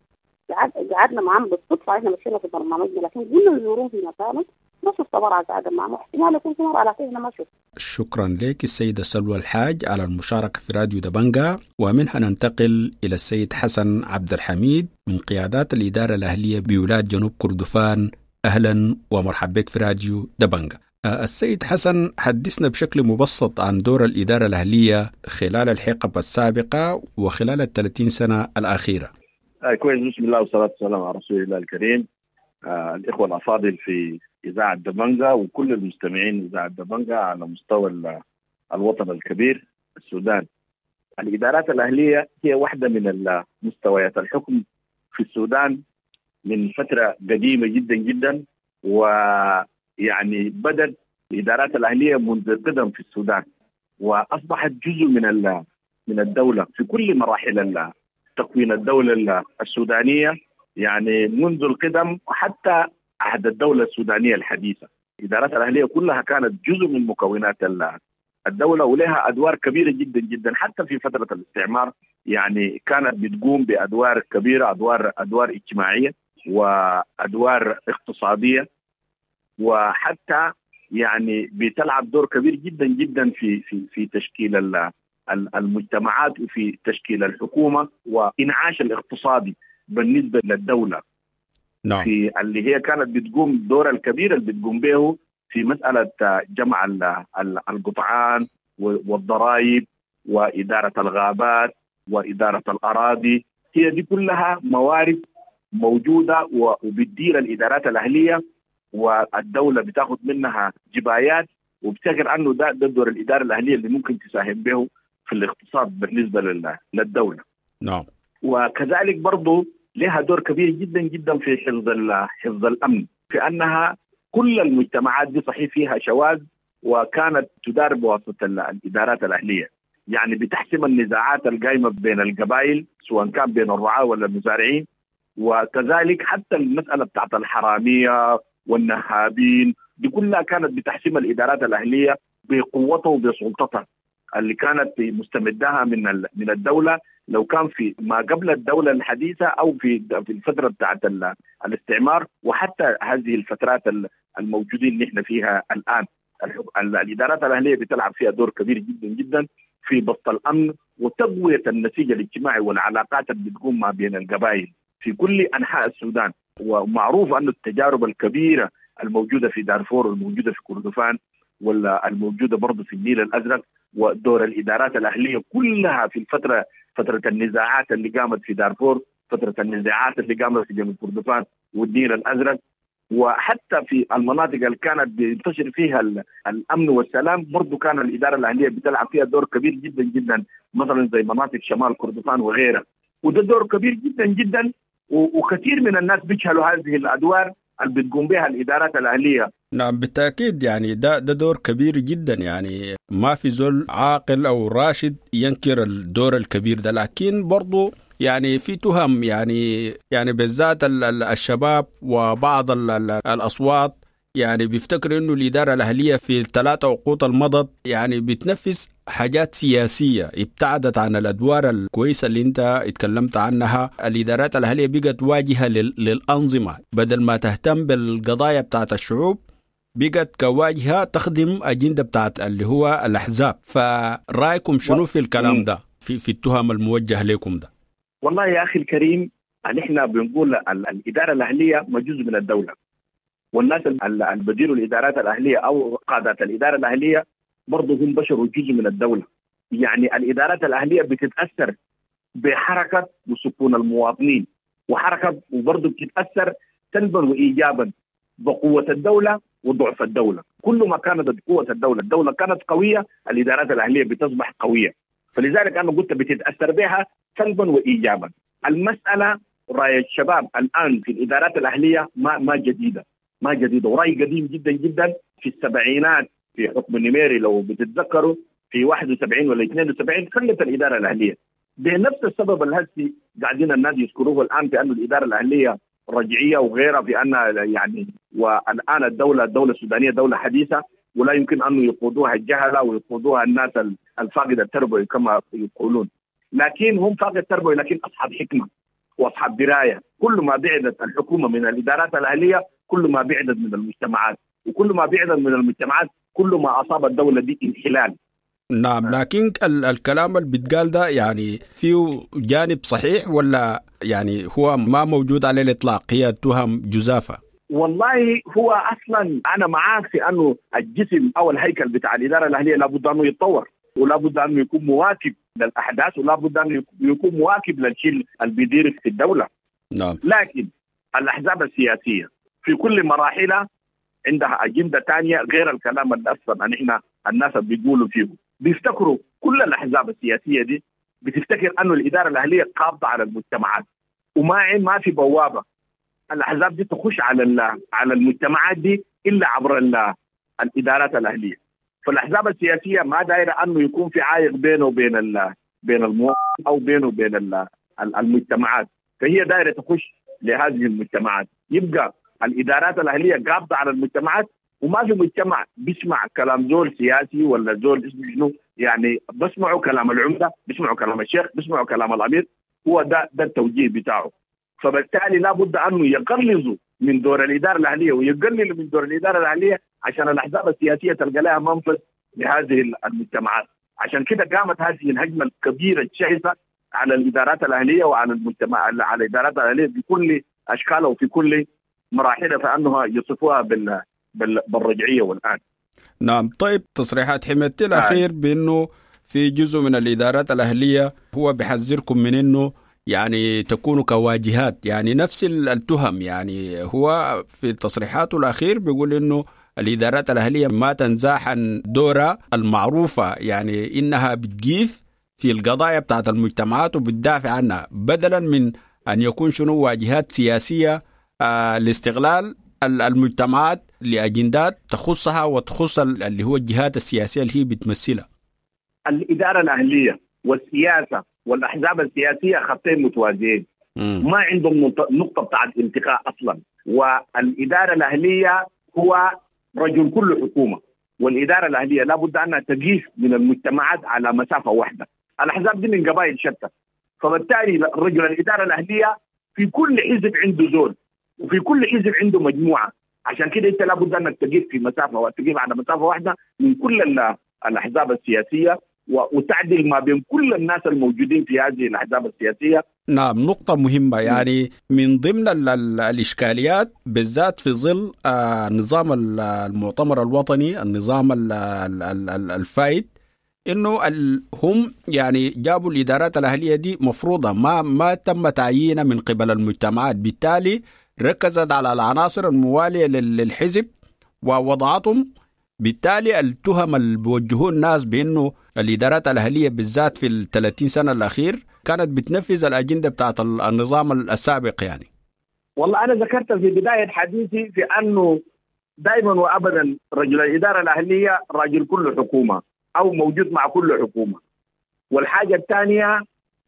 قعدنا معاهم بالصدفة، إحنا مشينا في برنامجنا لكن قلنا نزورهم في مكانهم، ما شفت مرأة قاعدة معهم، احتمال يكون في مرأة لكن أنا ما شفت. شكرا لك السيدة سلوى الحاج على المشاركة في راديو دبنجا. ومنها ننتقل إلى السيد حسن عبد الحميد من قيادات الإدارة الأهلية بولاية جنوب كردفان. أهلا ومرحبا بك في راديو دبنجا. السيد حسن، حدثنا بشكل مبسط عن دور الإدارة الأهلية خلال الحقب السابقة وخلال الثلاثين سنة الأخيرة. آه كويس، بسم الله والصلاة والسلام على رسول الله الكريم. آه الإخوة الأفاضل في إذاعة دبنجا وكل المستمعين إذاعة دبنجا على مستوى الوطن الكبير السودان. الإدارات الأهلية هي واحدة من مستويات الحكم في السودان من فترة قديمة جدا جدا، ويعني بدأت الإدارات الأهلية منذ القدم في السودان وأصبحت جزء من من الدولة في كل مراحل تكوين الدولة السودانية، يعني منذ القدم وحتى عهد الدولة السودانية الحديثة. الإدارات الأهلية كلها كانت جزء من مكونات الدولة ولها أدوار كبيرة جدا جدا حتى في فترة الاستعمار، يعني كانت بتقوم بأدوار كبيرة، أدوار أدوار اجتماعية وأدوار اقتصادية، وحتى يعني بتلعب دور كبير جدا جدا في في في تشكيل المجتمعات وفي تشكيل الحكومة وإنعاش الاقتصادي بالنسبة للدولة. نعم. في اللي هي كانت بتقوم الدور الكبير اللي بتقوم به في مسألة جمع القطعان والضرائب وإدارة الغابات وإدارة الأراضي، هي دي كلها موارد موجودة وبتدير الإدارات الأهلية والدولة بتاخد منها جبايات، وبتفكر أنه ده ده دور الإدارة الأهلية اللي ممكن تساهم به في الاقتصاد بالنسبة للدولة. نعم. وكذلك برضو لها دور كبير جدا جدا في حفظ حفظ الأمن، في أنها كل المجتمعات دي صحيح فيها شواذ وكانت تدار بواسطة الإدارات الأهلية، يعني بتحسم النزاعات القائمة بين القبائل سواء كان بين الرعاة ولا المزارعين، وكذلك حتى المسألة بتاعت الحرامية والنهابين دي كلها كانت بتحسم الإدارات الأهلية بقوتها وبسلطتها اللي كانت مستمدها من من الدولة، لو كان في ما قبل الدولة الحديثة أو في في الفترة بتاعت الاستعمار وحتى هذه الفترات الموجودين اللي احنا فيها الآن. الإدارات الأهلية بتلعب فيها دور كبير جدا جدا في بسط الأمن وتقوية النسيج الاجتماعي والعلاقات اللي بتقوم ما بين القبائل في كل أنحاء السودان. ومعروف أن التجارب الكبيرة الموجودة في دارفور والموجودة في كردفان والموجودة برضو في النيل الأزرق ودور الإدارات الأهلية كلها في الفترة فترة النزاعات اللي قامت في دارفور، فترة النزاعات اللي قامت في جنوب كردفان والنيل الأزرق، وحتى في المناطق اللي كانت بينتشر فيها الأمن والسلام برضو كان الإدارة الأهلية بتلعب فيها دور كبير جدا جدا، مثلا زي مناطق شمال كردفان وغيرها، وده دور كبير جدا جدا، وكثير من الناس بيجهلوا هذه الأدوار اللي بتقوم بها الإدارات الأهلية. نعم بالتأكيد، يعني ده ده دور كبير جدا، يعني ما في زول عاقل أو راشد ينكر الدور الكبير ده، لكن برضو يعني في تهم، يعني يعني بالذات الشباب وبعض الأصوات يعني بيفتكروا إنه الإدارة الأهلية في الثلاثة عقود المضت يعني بتنفذ حاجات سياسية ابتعدت عن الأدوار الكويسة اللي أنت اتكلمت عنها. الإدارات الأهلية بقت واجهة للأنظمة، بدل ما تهتم بالقضايا بتاعت الشعوب بقت كواجهة تخدم أجندة بتاعت اللي هو الأحزاب. فرأيكم شنو في الكلام ده، في, في التهم الموجهة لكم ده؟ والله يا أخي الكريم، نحن بنقول الإدارة الأهلية ما جزء من الدولة، والناس اللي بديروا الإدارات الأهلية أو قادات الإدارة الأهلية برضه هم بشر وجزء من الدولة. يعني الإدارات الأهلية بتتأثر بحركة وسكون المواطنين وحركة، وبرضه بتتأثر سلبا وإيجابا بقوة الدولة وضعف الدولة. كل ما كانت قوة الدولة، الدولة كانت قوية، الإدارات الأهلية بتصبح قوية. فلذلك أنا قلت بتتأثر بها سلبا وإيجابا. المسألة رأي الشباب الآن في الإدارات الأهلية ما ما جديدة، ما جديدة، ورأي قديم جدا جدا في السبعينات في حكم النميري لو بتتذكروا في واحد وسبعين ولا اثنين وسبعين خلت الإدارة الأهلية بنفس السبب الهسي قاعدين الناس يذكروه الآن في أن الإدارة الأهلية رجعية وغيرها، في أن يعني والآن الدولة الدولة السودانية دولة حديثة ولا يمكن أن يقودوها الجهلة ويقودوها الناس الفاقدة التربوي كما يقولون، لكن هم فاقد التربوي لكن أصحاب حكمة وأصحاب دراية. كل ما بعدت الحكومة من الإدارات الأهلية كل ما بعدت من المجتمعات، وكل ما بعدت من المجتمعات كل ما أصاب الدولة دي انحلال. نعم، لكن الكلام اللي بيتقال ده يعني فيه جانب صحيح ولا يعني هو ما موجود على الإطلاق، هي تهم جزافة؟ والله هو أصلا أنا معاك في أنه الجسم أو الهيكل بتاع الإدارة الأهلية لابد أنه يتطور، ولا بد أنه يكون مواكب للأحداث، ولا بد أنه يكون مواكب للشيء اللي بيدير في الدولة. نعم. لكن الأحزاب السياسية في كل مراحلها عندها أجندة تانية غير الكلام اللي أصلا نحن الناس بيقولوا فيه. بيفتكروا كل الأحزاب السياسية دي بتفتكر أنه الإدارة الأهلية قابضة على المجتمعات، وما ما في بوابة الأحزاب دي تخش على على المجتمعات دي إلا عبر الإدارات الأهلية. فالأحزاب السياسية ما دايرة أنه يكون في عائق بينه وبين ال بين المواطن أو بينه وبين المجتمعات، فهي دايرة تخش لهذه المجتمعات. يبقى الإدارات الأهلية قابضة على المجتمعات، وما في مجتمع بيسمع كلام زول سياسي ولا زول اسمه شنو، يعني بسمعوا كلام العمدة، بسمعوا كلام الشيخ، بسمعوا كلام الأمير، هو ده ده التوجيه بتاعه. فبالتالي لابد أنه يقلصوا من دور الإدارة الأهلية ويقللوا من دور الإدارة الأهلية عشان الأحزاب السياسية تلقى لها منفذ لهذه المجتمعات. عشان كده قامت هذه الهجمة الكبيرة الشعثة على الإدارات الأهلية وعلى المجتمع، على الإدارات الأهلية بكل أشكالها وفي كل مراحلها، فأنها يصفوها بال بالرجعية والآن. نعم. طيب تصريحات حميدتي الأخير بأنه في جزء من الإدارات الأهلية هو بحذركم من أنه يعني تكونوا كواجهات، يعني نفس التهم، يعني هو في تصريحاته الأخير بيقول أنه الإدارات الأهلية ما تنزاح عن دورها المعروفة، يعني إنها بتجيف في القضايا بتاعت المجتمعات وبتدافع عنها، بدلا من أن يكون شنو واجهات سياسية آه لاستغلال المجتمعات لأجندات تخصها وتخص اللي هو الجهات السياسية اللي هي بتمثلها. الإدارة الأهلية والسياسة والأحزاب السياسية خطين متوازيين، ما عندهم نقطة بتاعت التقاء أصلا. والإدارة الأهلية هو رجل كل حكومة، والإدارة الأهلية لابد أنها تقيس من المجتمعات على مسافة واحدة. الأحزاب دي من قبائل شتى، فبالتالي رجل الإدارة الأهلية في كل حزب عنده زول وفي كل حزب عنده مجموعة. عشان كده أنت لابد أنك تقيس في مسافة وتقيس على مسافة واحدة من كل الأحزاب السياسية وتعدل ما بين كل الناس الموجودين في هذه الأحزاب السياسية. نعم، نقطة مهمة. يعني من ضمن ال ال الإشكاليات بالذات في ظل آه نظام المؤتمر الوطني، النظام ال ال ال الفايد، إنه هم يعني جابوا الإدارات الأهلية دي مفروضة، ما ما تم تعيينها من قبل المجتمعات، بالتالي ركزت على العناصر الموالية للحزب ووضعتهم. بالتالي التهم اللي بيوجهوه الناس بانه الادارات الاهلية بالذات في ال ثلاثين سنة الاخير كانت بتنفذ الاجندة بتاعت النظام السابق يعني. والله انا ذكرت في بداية حديثي في انه دائما وابدا رجل الادارة الاهلية رجل كل حكومة او موجود مع كل حكومة. والحاجة الثانية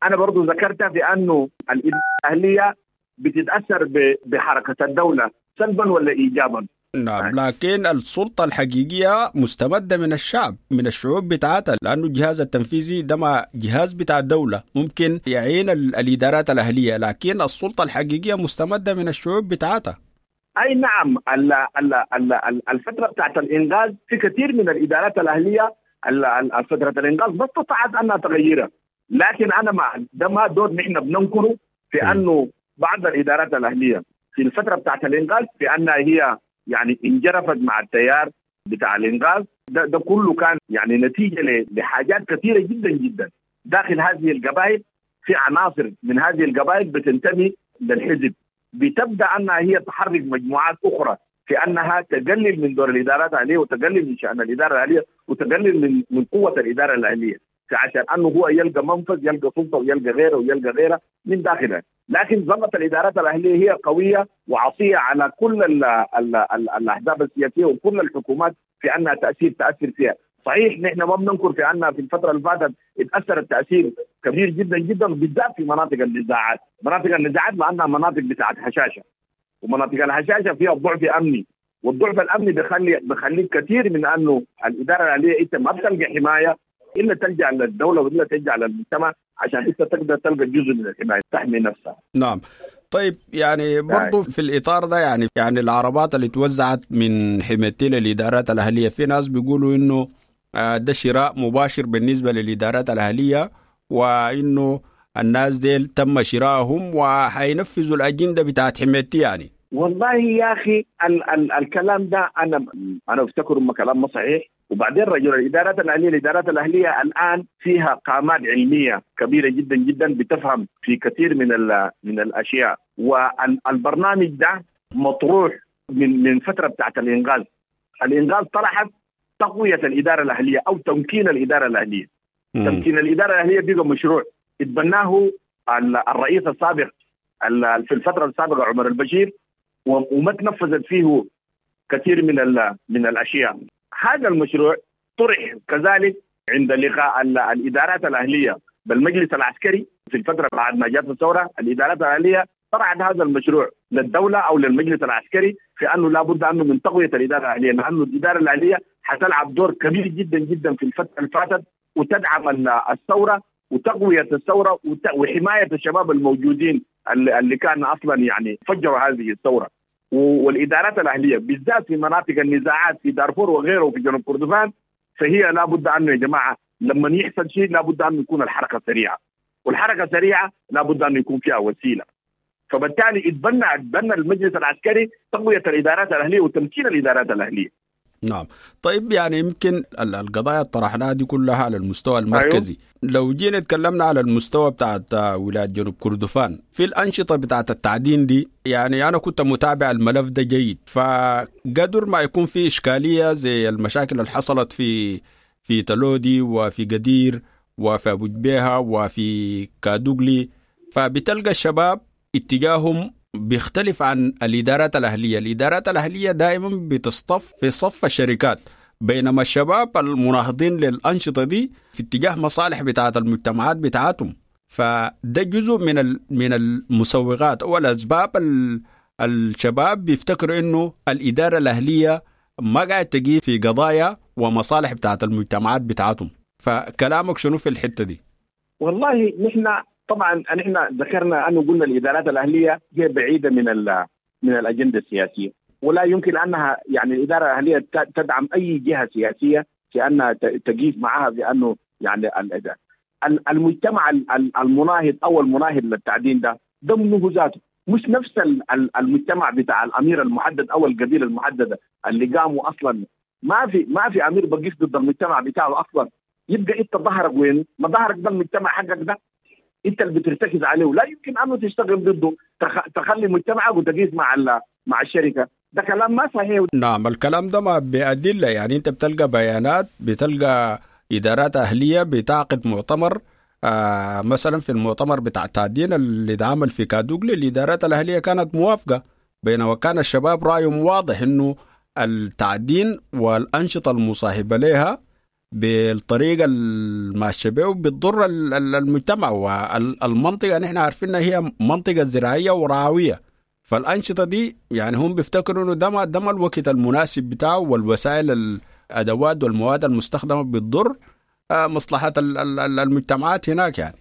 انا برضو ذكرتها في انه الادارة الاهلية بتتاثر بحركة الدولة سلبا ولا ايجابا. نعم، لكن السلطة الحقيقية مستمدة من الشعب، من الشعوب بتاعتها، لأنه الجهاز التنفيذي ده ما جهاز بتاع الدولة، ممكن يعين الإدارات الأهلية، لكن السلطة الحقيقية مستمدة من الشعوب بتاعتها. أي نعم، ال ال ال الفترة بتاعت الإنقاذ في كثير من الإدارات الأهلية فترة الإنقاذ ما استطاعت أنها تغيرها، لكن أنا مع ده ما دور نحن بننكره في أنه بعض الإدارات الأهلية في الفترة بتاعت الإنقاذ في أنها هي يعني انجرفت مع التيار بتاع الإنقاذ. ده, ده كله كان يعني نتيجة لحاجات كثيرة جدا جدا داخل هذه القبائل. في عناصر من هذه القبائل بتنتمي للحزب، بتبدأ أنها هي تحرك مجموعات أخرى في أنها تقلل من دور الإدارات الأهلية وتقلل من شأن الإدارة الأهلية وتقلل من من قوة الإدارة الأهلية، عشان أنه هو يلقى منفذ، يلقى سلطة ويلقى غيره ويلقى غيره من داخلها. لكن ظلت الإدارات الأهلية هي قوية وعصية على كل ال ال ال الأحزاب السياسية وكل الحكومات في أنها تأثير تأثر فيها. صحيح نحن ما بننكر في أنها في الفترة اللي فاتت اتأثرت تأثير كبير جدا جدا، بالذات في مناطق النزاعات. مناطق النزاعات لأنها مناطق بتاعت هشاشة، ومناطق الهشاشة فيها ضعف أمني، والضعف الأمني بخلي بخلي كثير من أنه الإدارة الأهلية أنت ما بتلقى حماية إلا تلجأ للدولة وإلا تلجأ للمجتمع عشان أنت تقدر تلقى جزء من الحماية تحمي نفسها. نعم. طيب يعني برضو في الإطار ده يعني يعني العربات اللي توزعت من حمايتي للإدارات الأهلية، في ناس بيقولوا إنه ده شراء مباشر بالنسبة للإدارات الأهلية، وإنه الناس ديل تم شرائهم وحينفذوا الأجندة بتاعت حمايتي يعني. والله يا أخي ال ال الكلام ده أنا أنا أفتكر إنه كلام ما صحيح. وبعدين رجل الإدارات الأهلية، الإدارات الأهلية الآن فيها قامات علمية كبيرة جدا جدا بتفهم في كثير من من الأشياء، والبرنامج ده مطروح من من فترة بتاعت الإنقاذ. الإنقاذ طرحت تقوية الإدارة الأهلية أو تمكين الإدارة الأهلية. م. تمكين الإدارة الأهلية بقى مشروع اتبناه الرئيس السابق في الفترة السابقة عمر البشير، وما تنفذت فيه كثير من من الأشياء. هذا المشروع طرح كذلك عند لقاء الإدارات الأهلية بالمجلس العسكري في الفترة بعد ما جاءت الثورة. الإدارات الأهلية طرحت هذا المشروع للدولة أو للمجلس العسكري في أنه لابد أنه من تقوية الإدارة الأهلية، لأنه الإدارة الأهلية حتلعب دور كبير جدا جدا في الفترة اللي فاتت وتدعم الثورة وتقوية الثورة وحماية الشباب الموجودين اللي كان أصلا يعني فجروا هذه الثورة. والإدارات الأهلية بالذات في مناطق النزاعات في دارفور وغيره وفي جنوب كردفان، فهي لابد أنه يا جماعة لما يحصل شيء لابد أنه يكون الحركة سريعة، والحركة سريعة لابد أنه يكون فيها وسيلة. فبالتالي اتبنى اتبنى المجلس العسكري تقوية الإدارات الأهلية وتمكين الإدارات الأهلية. نعم. طيب يعني يمكن القضايا طرحناها دي كلها على المستوى المركزي. أيوه. لو جينا تكلمنا على المستوى بتاعت ولاية جنوب كردفان في الأنشطة بتاعت التعدين دي، يعني أنا كنت متابع الملف ده جيد، فقدر ما يكون في إشكالية زي المشاكل اللي حصلت في في تلودي وفي قدير وفي أبو جبيهة وفي كادوغلي، فبتلقى الشباب اتجاههم بيختلف عن الإدارات الأهلية. الإدارات الأهلية دائما بتصطف في صف الشركات، بينما الشباب المناهضين للأنشطة دي في اتجاه مصالح بتاعت المجتمعات بتاعتهم. فده جزء من من المسوغات أو الأسباب. الشباب بيفتكروا إنه الإدارة الأهلية ما قاعد تجي في قضايا ومصالح بتاعت المجتمعات بتاعتهم. فكلامك شنو في الحتة دي؟ والله نحن طبعا نحن ذكرنا انه قلنا الادارات الاهلية هي بعيدة من من الاجندة السياسية، ولا يمكن انها يعني الادارة الاهلية تدعم اي جهة سياسية في انها تقيف معها في انه يعني المجتمع المناهض او المناهض للتعدين ده ضمنه ذاته مش نفس المجتمع بتاع الامير المحدد او القبيلة المحددة اللي قاموا اصلا. ما في ما في امير بقيف ضد المجتمع بتاعه اصلا. يبقى انت ظهرك وين؟ ما ظهرك ده المجتمع حقك ده. انت اللي بترتكز عليه لا يمكن انه تشتغل ضده، تخلي مجتمعك وتقيس مع مع الشركة. ده كلام ما صحيح. نعم الكلام ده ما بأدلة، يعني انت بتلقى بيانات، بتلقى ادارات اهليه بتعقد مؤتمر، آه مثلا في المؤتمر بتاع التعدين اللي اتعمل في كادوغلي الادارات الاهلية كانت موافقة، بينما كان الشباب رايهم واضح انه التعدين والانشطه المصاحبة لها بالطريقة الماشية به بتضر المجتمع والمنطقة. نحن عارفين هي منطقة زراعية ورعويه، فالانشطه دي يعني هم بيفتكروا انه ده ما ده ما الوقت المناسب بتاعه، والوسائل الادوات والمواد المستخدمة بتضر مصلحة المجتمعات هناك. يعني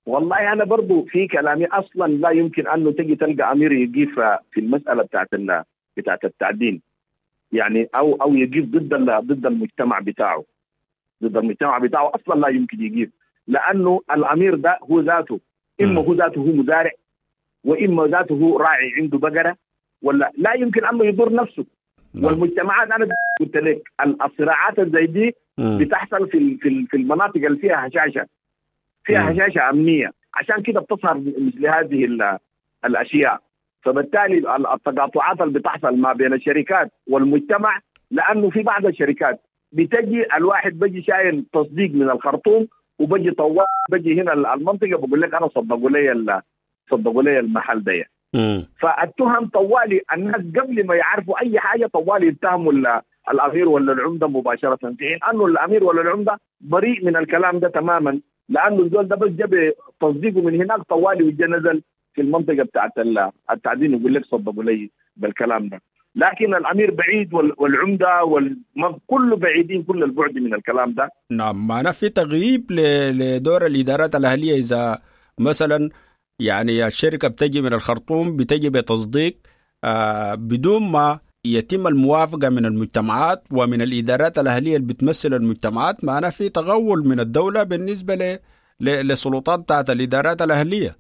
والله انا برضو في كلامي اصلا لا يمكن انه تجي تلقى امير يقف في المسالة بتاعت بتاعت التعدين، يعني او او يقف ضد ضد المجتمع بتاعه، ضد المجتمع بتاعه اصلا لا يمكن يقف، لانه الامير ده هو ذاته اما هو ذاته هو مزارع، واما ذاته هو راعي عنده بقرة، ولا لا يمكن انه يضر نفسه. نعم. والمجتمعات انا قلت لك الصراعات زي دي بتحصل في في في المناطق اللي فيها هشاشة، فيها هشاشة امنية، عشان كده بتظهر مثل هذه الاشياء. فبالتالي التقاطعات اللي بتحصل ما بين الشركات والمجتمع، لانه في بعض الشركات بتجي الواحد بيجي شايل تصديق من الخرطوم وبجي طوال بجي هنا المنطقة بقول لك انا صدقوا لي صدقوا لي المحل ده. فالتهم طوالي الناس قبل ما يعرفوا اي حاجة طوالي يتهموا الامير ولا العمدة مباشرة، في حين انه الامير ولا العمدة بريء من الكلام ده تماما، لانه الزول ده بس جاب تصديقه من هناك طوالي وجا نزل في المنطقة بتاعت التعدين يقول لك صدقوا لي بالكلام ده. لكن الامير بعيد والعمده كله بعيدين كل البعد من الكلام ده. نعم، معناه في تغييب لدور الادارات الاهلية. اذا مثلا يعني الشركة بتجي من الخرطوم بتجي بتصديق آه بدون ما يتم الموافقة من المجتمعات ومن الادارات الاهلية اللي بتمثل المجتمعات، معناه في تغول من الدولة بالنسبة ل للسلطات بتاعت الادارات الاهلية.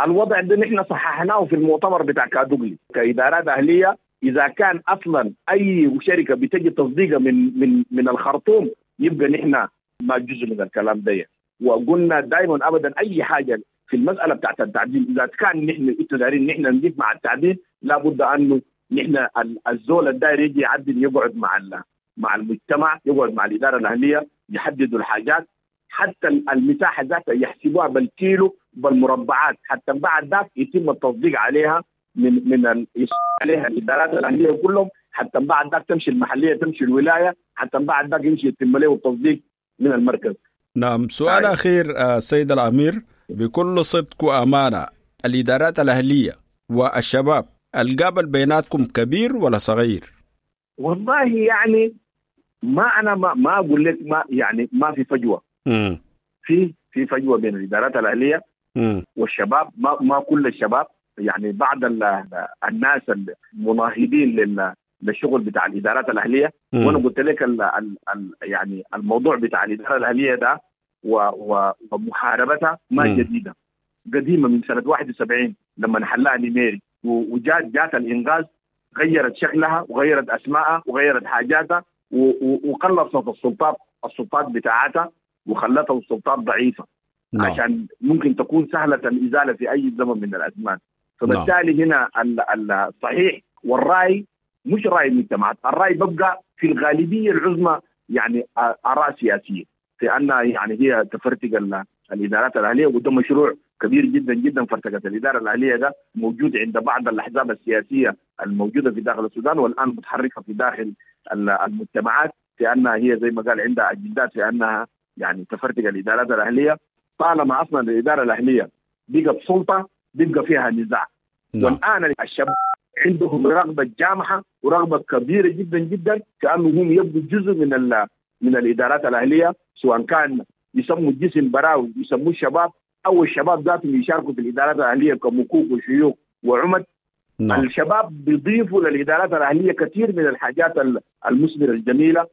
الوضع ده نحن صححناه في المؤتمر بتاع كادوغلي كادارات اهليه. اذا كان اصلا اي شركة بتجي تصديقها من من من الخرطوم يبقى نحن ما جزء من الكلام ده. وقلنا دائما ابدا اي حاجة في المسالة بتاعت التعدين اذا كان نحن انتوا دايرين نحن نجيب مع التعدين لابد انه نحن الزول الداير يجي يعدل يقعد مع مع المجتمع، يقعد مع الادارة الاهلية، يحددوا الحاجات، حتى المساحة ذاتها يحسبوها بالكيلو بالمربعات، حتى بعد ذاك يتم التصديق عليها من من ال... عليها الادارات الاهلية كلهم، حتى بعد ذاك تمشي المحلية تمشي الولاية، حتى بعد ذاك يمشي يتم له التصديق من المركز. نعم، سؤال آه. اخير سيد الامير، بكل صدق وامانه، الادارات الاهلية والشباب القابل بيناتكم كبير ولا صغير؟ والله يعني ما انا ما, ما اقول لك ما يعني ما في فجوة. مم. في في فجوة بين الادارات الاهلية مم. والشباب، ما ما كل الشباب، يعني بعض الناس المناهضين للشغل بتاع الادارات الاهلية. مم. وانا قلت لك ال ال ال يعني الموضوع بتاع الادارة الاهلية ده ومحاربتها ما مم. جديدة، قديمة من سنة واحد وسبعين لما حلها نيميري، وجات جات الانغاز غيرت شكلها وغيرت اسمائها وغيرت حاجاتها وقلصت السلطات السلطات بتاعتها وخلتها السلطات ضعيفة. نعم. عشان ممكن تكون سهلة الازالة في اي زمن من الازمان. فبالتالي هنا الصحيح والراي مش راي المجتمعات، الراي ببقى في الغالبية العظمى يعني اراء سياسية في ان يعني هي تفرتق الادارات الاهلية، وده مشروع كبير جدا جدا. فرتقه الادارة الاهلية ده موجود عند بعض الاحزاب السياسية الموجودة في داخل السودان والان متحركة في داخل المجتمعات، في انها هي زي ما قال عندها اجندات في انها يعني تفرتق الادارات الاهلية. طالما اصلا الادارة الاهلية بقت سلطة بيبقى فيها نزاع. نعم. والان الشباب عندهم رغبة جامحه ورغبه كبيرة جدا جدا كانه هم يبقوا جزء من من الادارات الاهلية، سواء كان يسموا الجسم براوي يسموه الشباب، او الشباب ذاتهم يشاركوا في الادارات الاهلية كمكوك وشيوخ وعمد. نعم. الشباب بيضيفوا للادارات الاهلية كثير من الحاجات المثمرة الجميلة.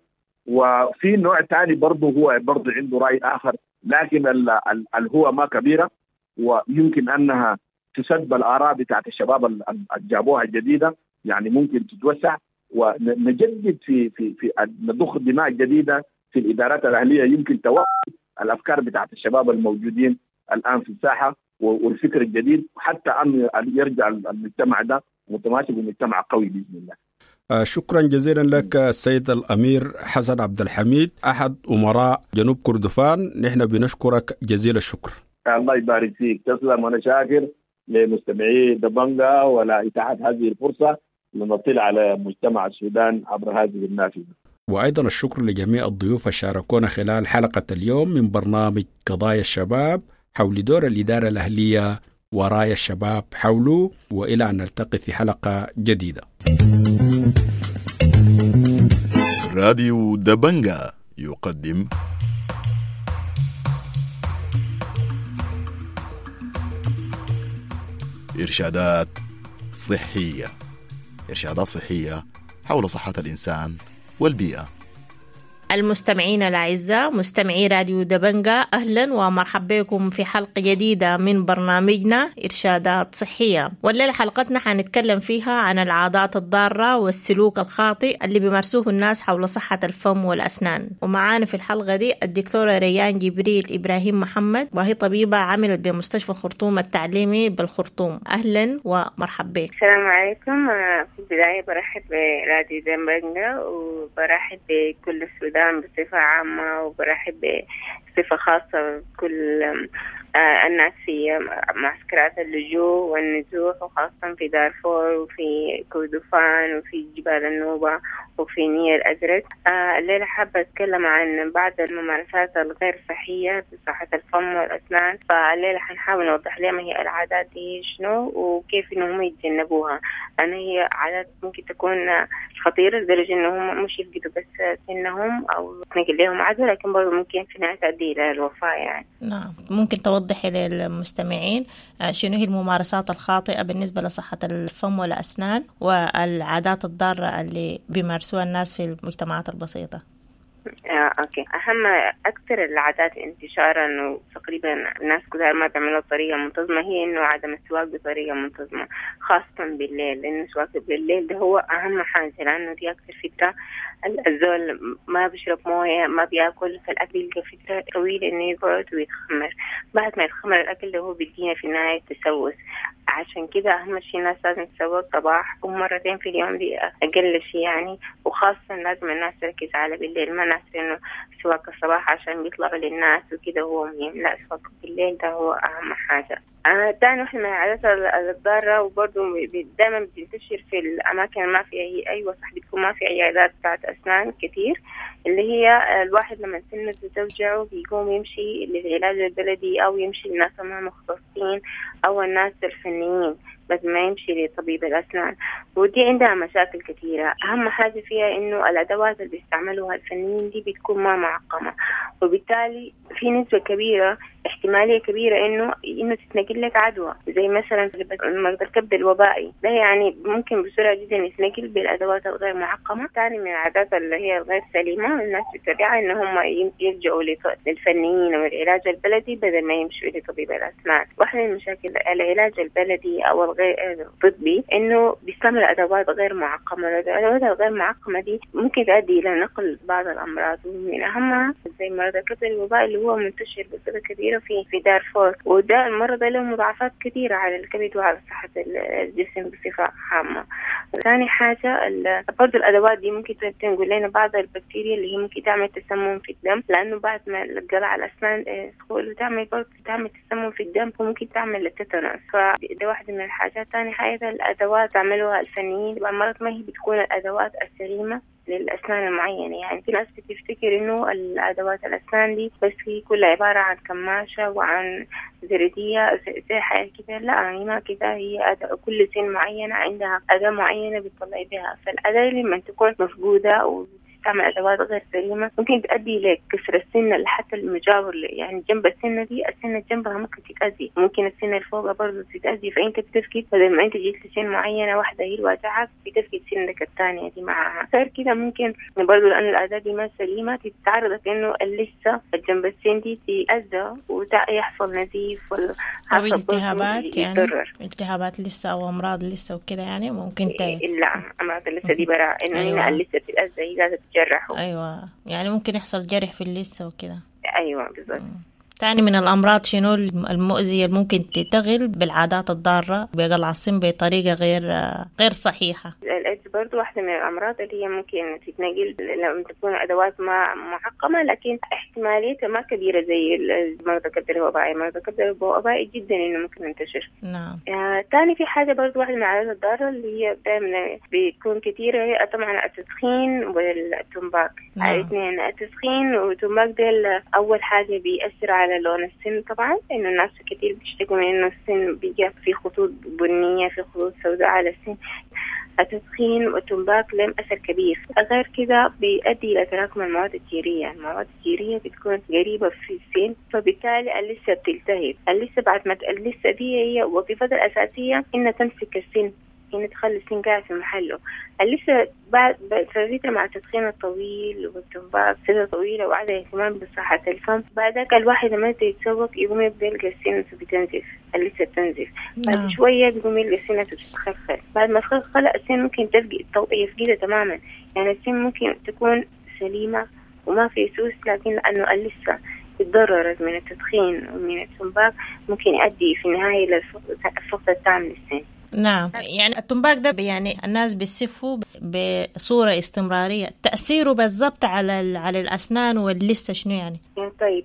وفي نوع ثاني برضه هو برضه عنده راي اخر، لكن الهوى ما كبيرة ويمكن انها تسد بالاراء بتاعت الشباب اللي جابوها الجديدة، يعني ممكن تتوسع ونجدد في في في نضخ دماء جديدة في الادارات الاهلية، يمكن توحد الافكار بتاعت الشباب الموجودين الان في الساحة والفكر الجديد، حتى ان يرجع المجتمع ده متماسك ومجتمع قوي باذن الله. شكرا جزيلا لك السيد الأمير حسن عبد الحميد، أحد أمراء جنوب كردفان. نحن بنشكرك جزيل الشكر. الله يبارك فيك، تسلم. وأنا شاكر لمستمعي دبنجا ولا إتاحة هذه الفرصة لنطلع على مجتمع السودان عبر هذه النافذة. وأيضا الشكر لجميع الضيوف الشاركونا خلال حلقة اليوم من برنامج قضايا الشباب حول دور الإدارة الأهلية ورايا الشباب حوله، وإلى أن نلتقي في حلقة جديدة. راديو دبنجا يقدم إرشادات صحية، إرشادات صحية حول صحة الإنسان والبيئة. المستمعين الأعزاء، مستمعي راديو دبنجا، أهلا ومرحبا بكم في حلقة جديدة من برنامجنا إرشادات صحية. والليلة حلقتنا حنتكلم فيها عن العادات الضارة والسلوك الخاطئ اللي بيمارسوه الناس حول صحة الفم والأسنان. ومعانا في الحلقة دي الدكتورة ريان جبريل إبراهيم محمد، وهي طبيبة عملت بمستشفى الخرطوم التعليمي بالخرطوم. أهلا ومرحبا بك. السلام عليكم. في البداية برحب براديو دبنجا وبرحب بكل السودان بصفة عامة، وبرحب بصفة خاصة بكل الناس في معسكرات اللجوء والنزوح، وخاصة في دارفور وفي كردفان وفي جبال النوبة وفي نيل الأزرق. الليلة حابة أتكلم عن بعض الممارسات الغير صحية في صحة الفم والأسنان. فالليلة حنحاول نوضح لهم هي العادات دي شنو وكيف إنهم يتجنبوها، لأن هي عادات ممكن تكون خطيرة لدرجة إنهم مش يفقدوا بس سنهم أو تنقل لهم عدوى، لكن برضه ممكن في نهاية تؤدي إلى الوفاة يعني. نعم، ممكن توضحي للمستمعين شنو هي الممارسات الخاطئة بالنسبة لصحة الفم والأسنان والعادات الضارة اللي بيمارسوها الناس في المجتمعات البسيطة؟ آه، أوكي. أهم أكثر العادات انتشاراً وتقريباً الناس كلها ما بيعملوها بطريقة منتظمة هي إنه عدم السواك بطريقة منتظمة، خاصة بالليل، لأنه السواك بالليل ده هو أهم حاجة، لأنه دي أكثر فترة الزول ما بيشرب موية، ما بياكل، فالأكل يلقى فترة طويلة إنه يقعد ويتخمر. بعد ما يتخمر الأكل ده هو بيدينا في النهاية تسوس. عشان كده أهم شيء الناس لازم تسوق صباح ومرتين في اليوم، دي أقل شيء يعني. وخاصة لازم الناس تركز على بالليل، ما ناس إنه سواك الصباح عشان بيطلعوا للناس وكده هو مهم، لا، سواك بالليل ده هو أهم حاجة. تاني واحدة من العادات الضارة وبرضه دايما بتنتشر في الأماكن ما فيها هي أيوة صح، بتكون ما في عيادات بتاعت أسنان كتير، اللي هي الواحد لما سنه توجعه بيقوم يمشي للعلاج البلدي أو يمشي للناس ما مختصين أو الناس الفنيين، بس ما يمشي لطبيب الأسنان. ودي عندها مشاكل كثيرة. أهم حاجة فيها إنه الأدوات اللي بيستعملوها الفنيين دي بتكون ما معقمة، وبالتالي في نسبة كبيرة، احتمالية كبيرة إنه إنه تتنقل لك عدوى، زي مثلا مرض الكبد الوبائي ده، يعني ممكن بسرعة جدا يتنقل بالأدوات الغير معقمة. ثاني من العادات اللي هي الغير سليمة الناس بتتبعها إن هم يلجأوا للفنيين والعلاج البلدي بدل ما يمشوا لطبيب الأسنان. واحدة من مشاكل العلاج البلدي أو الغير الطبي إنه بيستعمل أدوات غير معقمة. الأدوات الغير معقمة دي ممكن تؤدي إلى نقل بعض الأمراض، ومن أهمها زي مرض الكبد الوبائي اللي هو منتشر بصورة كبيرة في في دارفور، وده المرض له مضاعفات كثيرة على الكبد وعلى صحة الجسم بصفة عامة. ثاني حاجة برضو الأدوات دي ممكن تنقل لنا بعض البكتيريا اللي هي ممكن تعمل تسمم في الدم، لأنه بعد ما القلع الأسنان تدخل وتعمل برضو تعمل تسمم في الدم وممكن تعمل التيتانوس، فده واحدة من الحاجات. ثاني حاجة الأدوات تعملوها الفنيين مرات ما هي بتكون الأدوات السليمة للأسنان المعينة، يعني في ناس بتفتكر إنه الأدوات الأسنان دي بس هي كلها عبارة عن كماشة وعن زردية زي حاجة كده، لا هي ما كده، هي أداة كل سن معينة عندها أداة معينة بتطلع بها، فالأداة لما تكون مفقودة و تعمل أدوات غير سليمة ممكن تؤدي لكسر السنة حتى المجاور، يعني جنب السنة دي السنة جنبها ممكن تتأذي، ممكن السنة اللي فوقها برضه تتأذي، فأنت بتفقد بدل ما أنت جيت لسن معينة واحدة هي الواجعة بتفقد سنك الثانية دي معها. غير كده ممكن برضه لأن الأداة دي ما سليمة تتعرضك إنه اللثة جنب السن دي تتأذى ويحصل نزيف ولا أو التهابات، يعني التهابات لسه أو أمراض لسه وكده، يعني ممكن ت... لا أمراض اللثة دي براء إنه أيوة. هنا اللثة بتتأذى هي لازم جرحوا. ايوه يعني ممكن يحصل جرح في اللثه وكده. ايوه بالضبط. تاني من الأمراض شنو المؤذية اللي ممكن تنتقل بالعادات الضارة بقلع السن بطريقة غير غير صحيحة؟ الإيدز برضو واحدة من الأمراض اللي هي ممكن تتنقل لما تكون أدوات ما معقمة، لكن احتماليتها ما كبيرة زي المرض الكبد الوبائي. مرض الكبد الوبائي جدا إنه ممكن ينتشر. نعم. آه، تاني في حاجة برضو واحدة من العادات الضارة اللي هي دائما بتكون كثيرة هي طبعا التدخين والتمباك. نعم. الاثنين التدخين والتمباك ديل أول حاجة بيأثر على لون السن طبعا، إنه الناس كتير بيشتكوا من إنه السن بيجي في خطوط بنية، في خطوط سوداء على السن. التدخين والتمباك لهم أثر كبير. غير كده بيؤدي إلى تراكم المواد الجيرية. المواد الجيرية بتكون قريبة في السن، فبالتالي اللثة بتلتهب. اللثة بعد ما اللثة دي هي وظيفتها الأساسية إنها تمسك السن، إنها تخلي السن قاعد في محله. اللثة بعد فترة مع التدخين الطويل والتمباك فترة طويلة وعدم اهتمام بصحة الفم، بعدك الواحد لما يتسوق يقوم يبدأ يلقى السن بتنزف، اللثة بتنزف. بعد شوية بيقوم يلقى السن بتتخلخل. بعد ما تخلخل السن ممكن تفقد يفقدها تماما. يعني السن ممكن تكون سليمة وما في سوس، لكن لأنه اللثة تضررت من التدخين ومن التمباك ممكن يؤدي في النهاية للفقد التام للسن. نعم. يعني التمباك ده يعني الناس بيسفوا بصورة استمرارية، تأثيره بالضبط على على الأسنان واللثة شنو يعني؟ طيب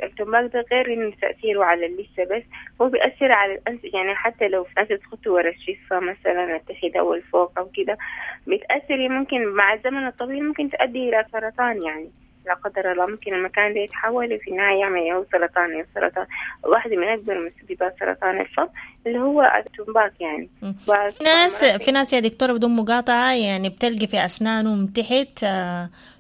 التمباك ده غير إنه تأثيره على اللثة بس، هو بيأثر على الأنف. يعني حتى لو في ناس تخطوا ورا الشفة مثلا التحت أو الفوق أو كده بتأثر، ممكن مع الزمن الطويل ممكن تؤدي إلى سرطان. يعني لا قدر الله ممكن المكان ده يتحول في النهاية يعمل هو سرطان. السرطان واحدة من أكبر مسببات سرطان الفم اللي هو التمباك. يعني في ناس في ناس يا دكتورة بدون مقاطعة يعني بتلقي في أسنانهم تحت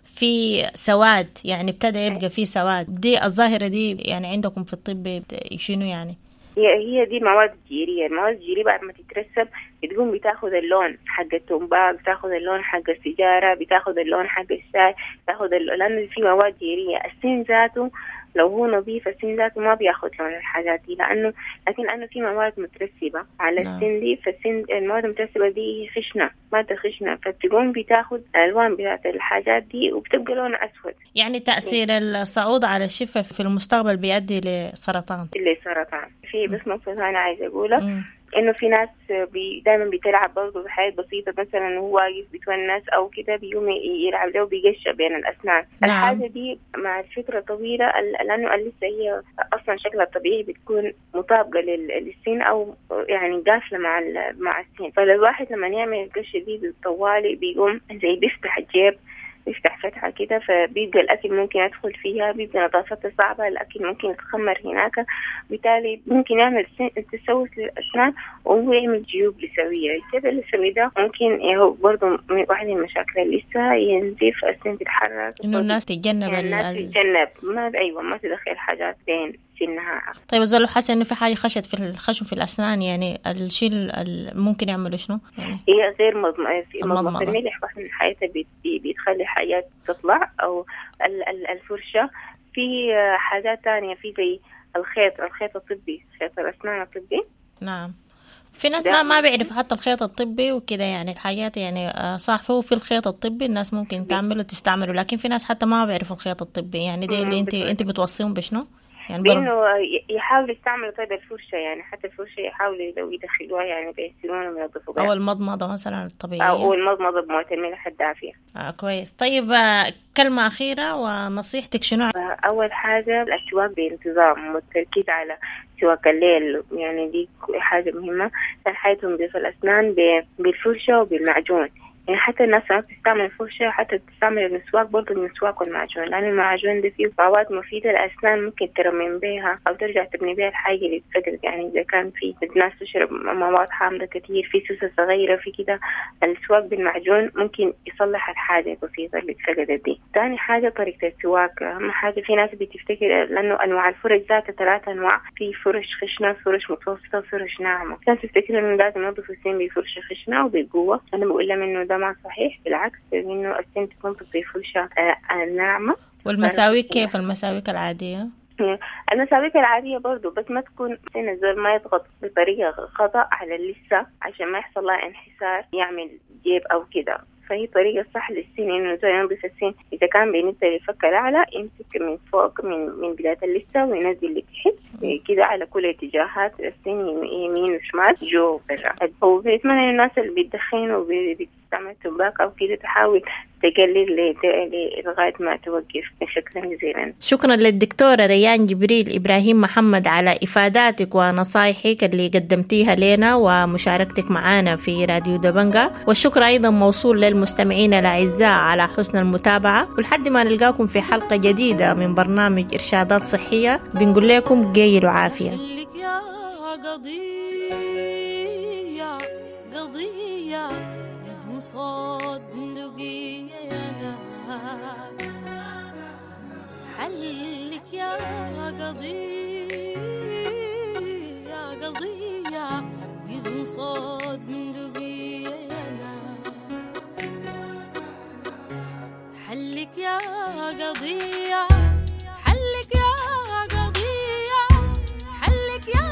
في سواد، يعني ابتدى يبقى في سواد. دي الظاهرة دي يعني عندكم في الطب شنو يعني؟ هي هي دي مواد جيرية. المواد الجيرية بعد ما تترسب بتقوم بتاخذ اللون حق التمباك، بتاخذ اللون حق السيجارة، بتاخذ اللون حق الشاي، بتاخذ لأنه في مواد جيرية. السن ذاته لو هو نظيف السن ذاته ما بياخذ لون الحاجات دي، لأنه لكن لأنه في مواد مترسبة على السن دي، فالسن المواد المترسبة دي خشنة، مادة خشنة، فتقوم بتاخذ الألوان بتاعت الحاجات دي وبتبقى لونها أسود. يعني تأثير الصعود على الشفة في المستقبل بيؤدي لسرطان. لسرطان. في بس نقطة أنا عايزة أقولها، إنه في ناس بي دايما بتلعب برضه بحاجات بسيطة، مثلا هو واقف بيتونس أو كده بيقوم يلعب له بيقشع بين الأسنان. نعم. الحاجة دي مع الفترة طويلة لأنه اللثة هي أصلا شكلها الطبيعي بتكون مطابقة للسن أو يعني قافلة مع مع السن، فالواحد لما يعمل القشة دي بالطوالي بيقوم زي بيفتح الجيب، بيفتح فتحة كده، فبيبقى الأكل ممكن يدخل فيها، بيبقى نظافتها صعبة، الأكل ممكن يتخمر هناك، بالتالي ممكن يعمل تسوس للأسنان وهو يعمل جيوب لثوية. الجيب اللثوي ده ممكن هو برضه من واحد من المشاكل اللثة ينزف، السن تتحرك، إنه الناس تتجنب يعني الناس تتجنب ما أيوة ما تدخل حاجات بين سنها. طيب الزول حاسس إنه في حاجة خشت في الخشم في الأسنان، يعني الشيء ممكن يعمله شنو؟ يعني هي غير مضمضة الملح واحد من حياتها بتخلي حاجات تطلع، أو الفرشة. في حاجات تانية، في زي الخيط، الخيط الطبي، خيط الأسنان الطبي. نعم. في ناس ما ما بيعرف حتى الخيط الطبي وكده، يعني الحاجات يعني صح هو في الخيط الطبي الناس ممكن تعمله تستعمله، لكن في ناس حتى ما بيعرفوا الخيط الطبي. يعني دي اللي انت انت بتوصيهم بشنو؟ يعني بانه يحاول يستعملوا طيب الفرشة، يعني حتى الفرشة يحاولوا لو يدخلوها يعني بيسنونهم وينظفوا بها، او المضمضة مثلا الطبيعية، او المضمضة بمويه الملح الدافيه. آه كويس. طيب كلمة اخيرة ونصيحتك شنو؟ اول حاجة السواك بانتظام والتركيز على سواك الليل، يعني دي حاجة مهمة. ثاني حاجة تنظيف الاسنان بالفرشه وبالمعجون، يعني حتى الناس ما بتستعمل الفرشة حتى بتستعمل المسواك برضه، المسواك والمعجون، لأن المعجون ده فيه مواد مفيدة للأسنان ممكن ترمم بيها أو ترجع تبني بيها الحاجة اللي اتفقدت. يعني إذا كان في ناس تشرب مواد حامضة كتير، في سوسة صغيرة، في كده، السواك بالمعجون ممكن يصلح الحاجة البسيطة اللي اتفقدت دي. تاني حاجة طريقة السواك، أهم حاجة في ناس بتفتكر لأنه أنواع الفرش ذاتها ثلاثة أنواع، في فرش خشنة، فرش متوسطة، فرش ناعمة. ناس تفتكر إنه لازم ينظفوا السن بفرشة خشنة وبقوة، أنا بقول لهم إنه ده ما صحيح، بالعكس إنه السن تكون بفرشة ناعمة. والمساويك كيف المساويك العادية؟ المساويك العادية برضو، بس ما تكون سن الزول ما يضغط بطريقة خطأ على اللثة عشان ما يحصل لها انحسار يعمل جيب أو كده. فهي طريقة صح للسن إنه زي ينظف السن. إذا كان بالنسبة للفك الأعلى يمسك من فوق من من بداية اللثة وينزل لتحت كده على كل اتجاهات السن، يمين وشمال جو برا. وبنتمنى الناس اللي بتدخن وبتستعمل تمباك أو كده تحاول تقلل لغاية ما توقف. شكرا جزيلا. شكرا للدكتورة ريان جبريل إبراهيم محمد على إفاداتك ونصايحك اللي قدمتيها لنا ومشاركتك معنا في راديو دبنجا، والشكر أيضا موصول للمستمعين الأعزاء على حسن المتابعة، ولحد ما نلقاكم في حلقة جديدة من برنامج إرشادات صحية بنقول لكم قيل وعافية. يا قضية قضية بدون صوت بندقية يا ناس، حلك يا قضية قضية بدون صوت بندقية يا ناس، حلك يا قضية، حلك يا قضية، حلك يا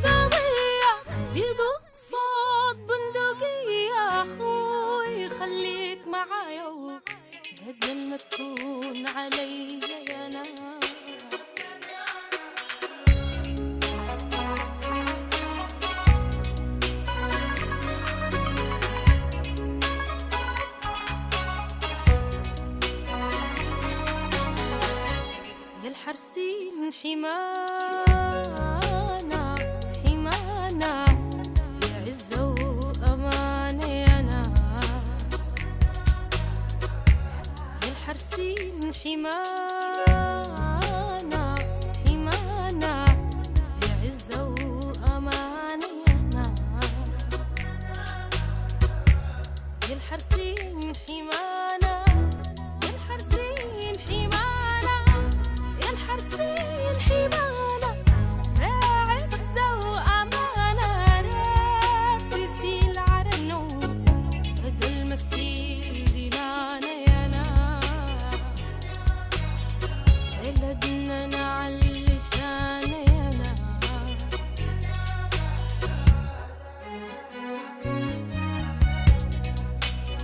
قضية بدون صوت بندقية. أخوي خليك معايا بدل ما تكون علي يا ناس. يا الحرسين حمانا حمانا يا عزة وأمانة يا ناس، يا الحرسين حمانا حمانا يا عزة وأمانة يا ناس، يا الحرسين حمانا، يا الحرسين حمانا، يا الحرسين حمانا بعزة وأمانة. ريت يسيل عرنو بدل ما تسيل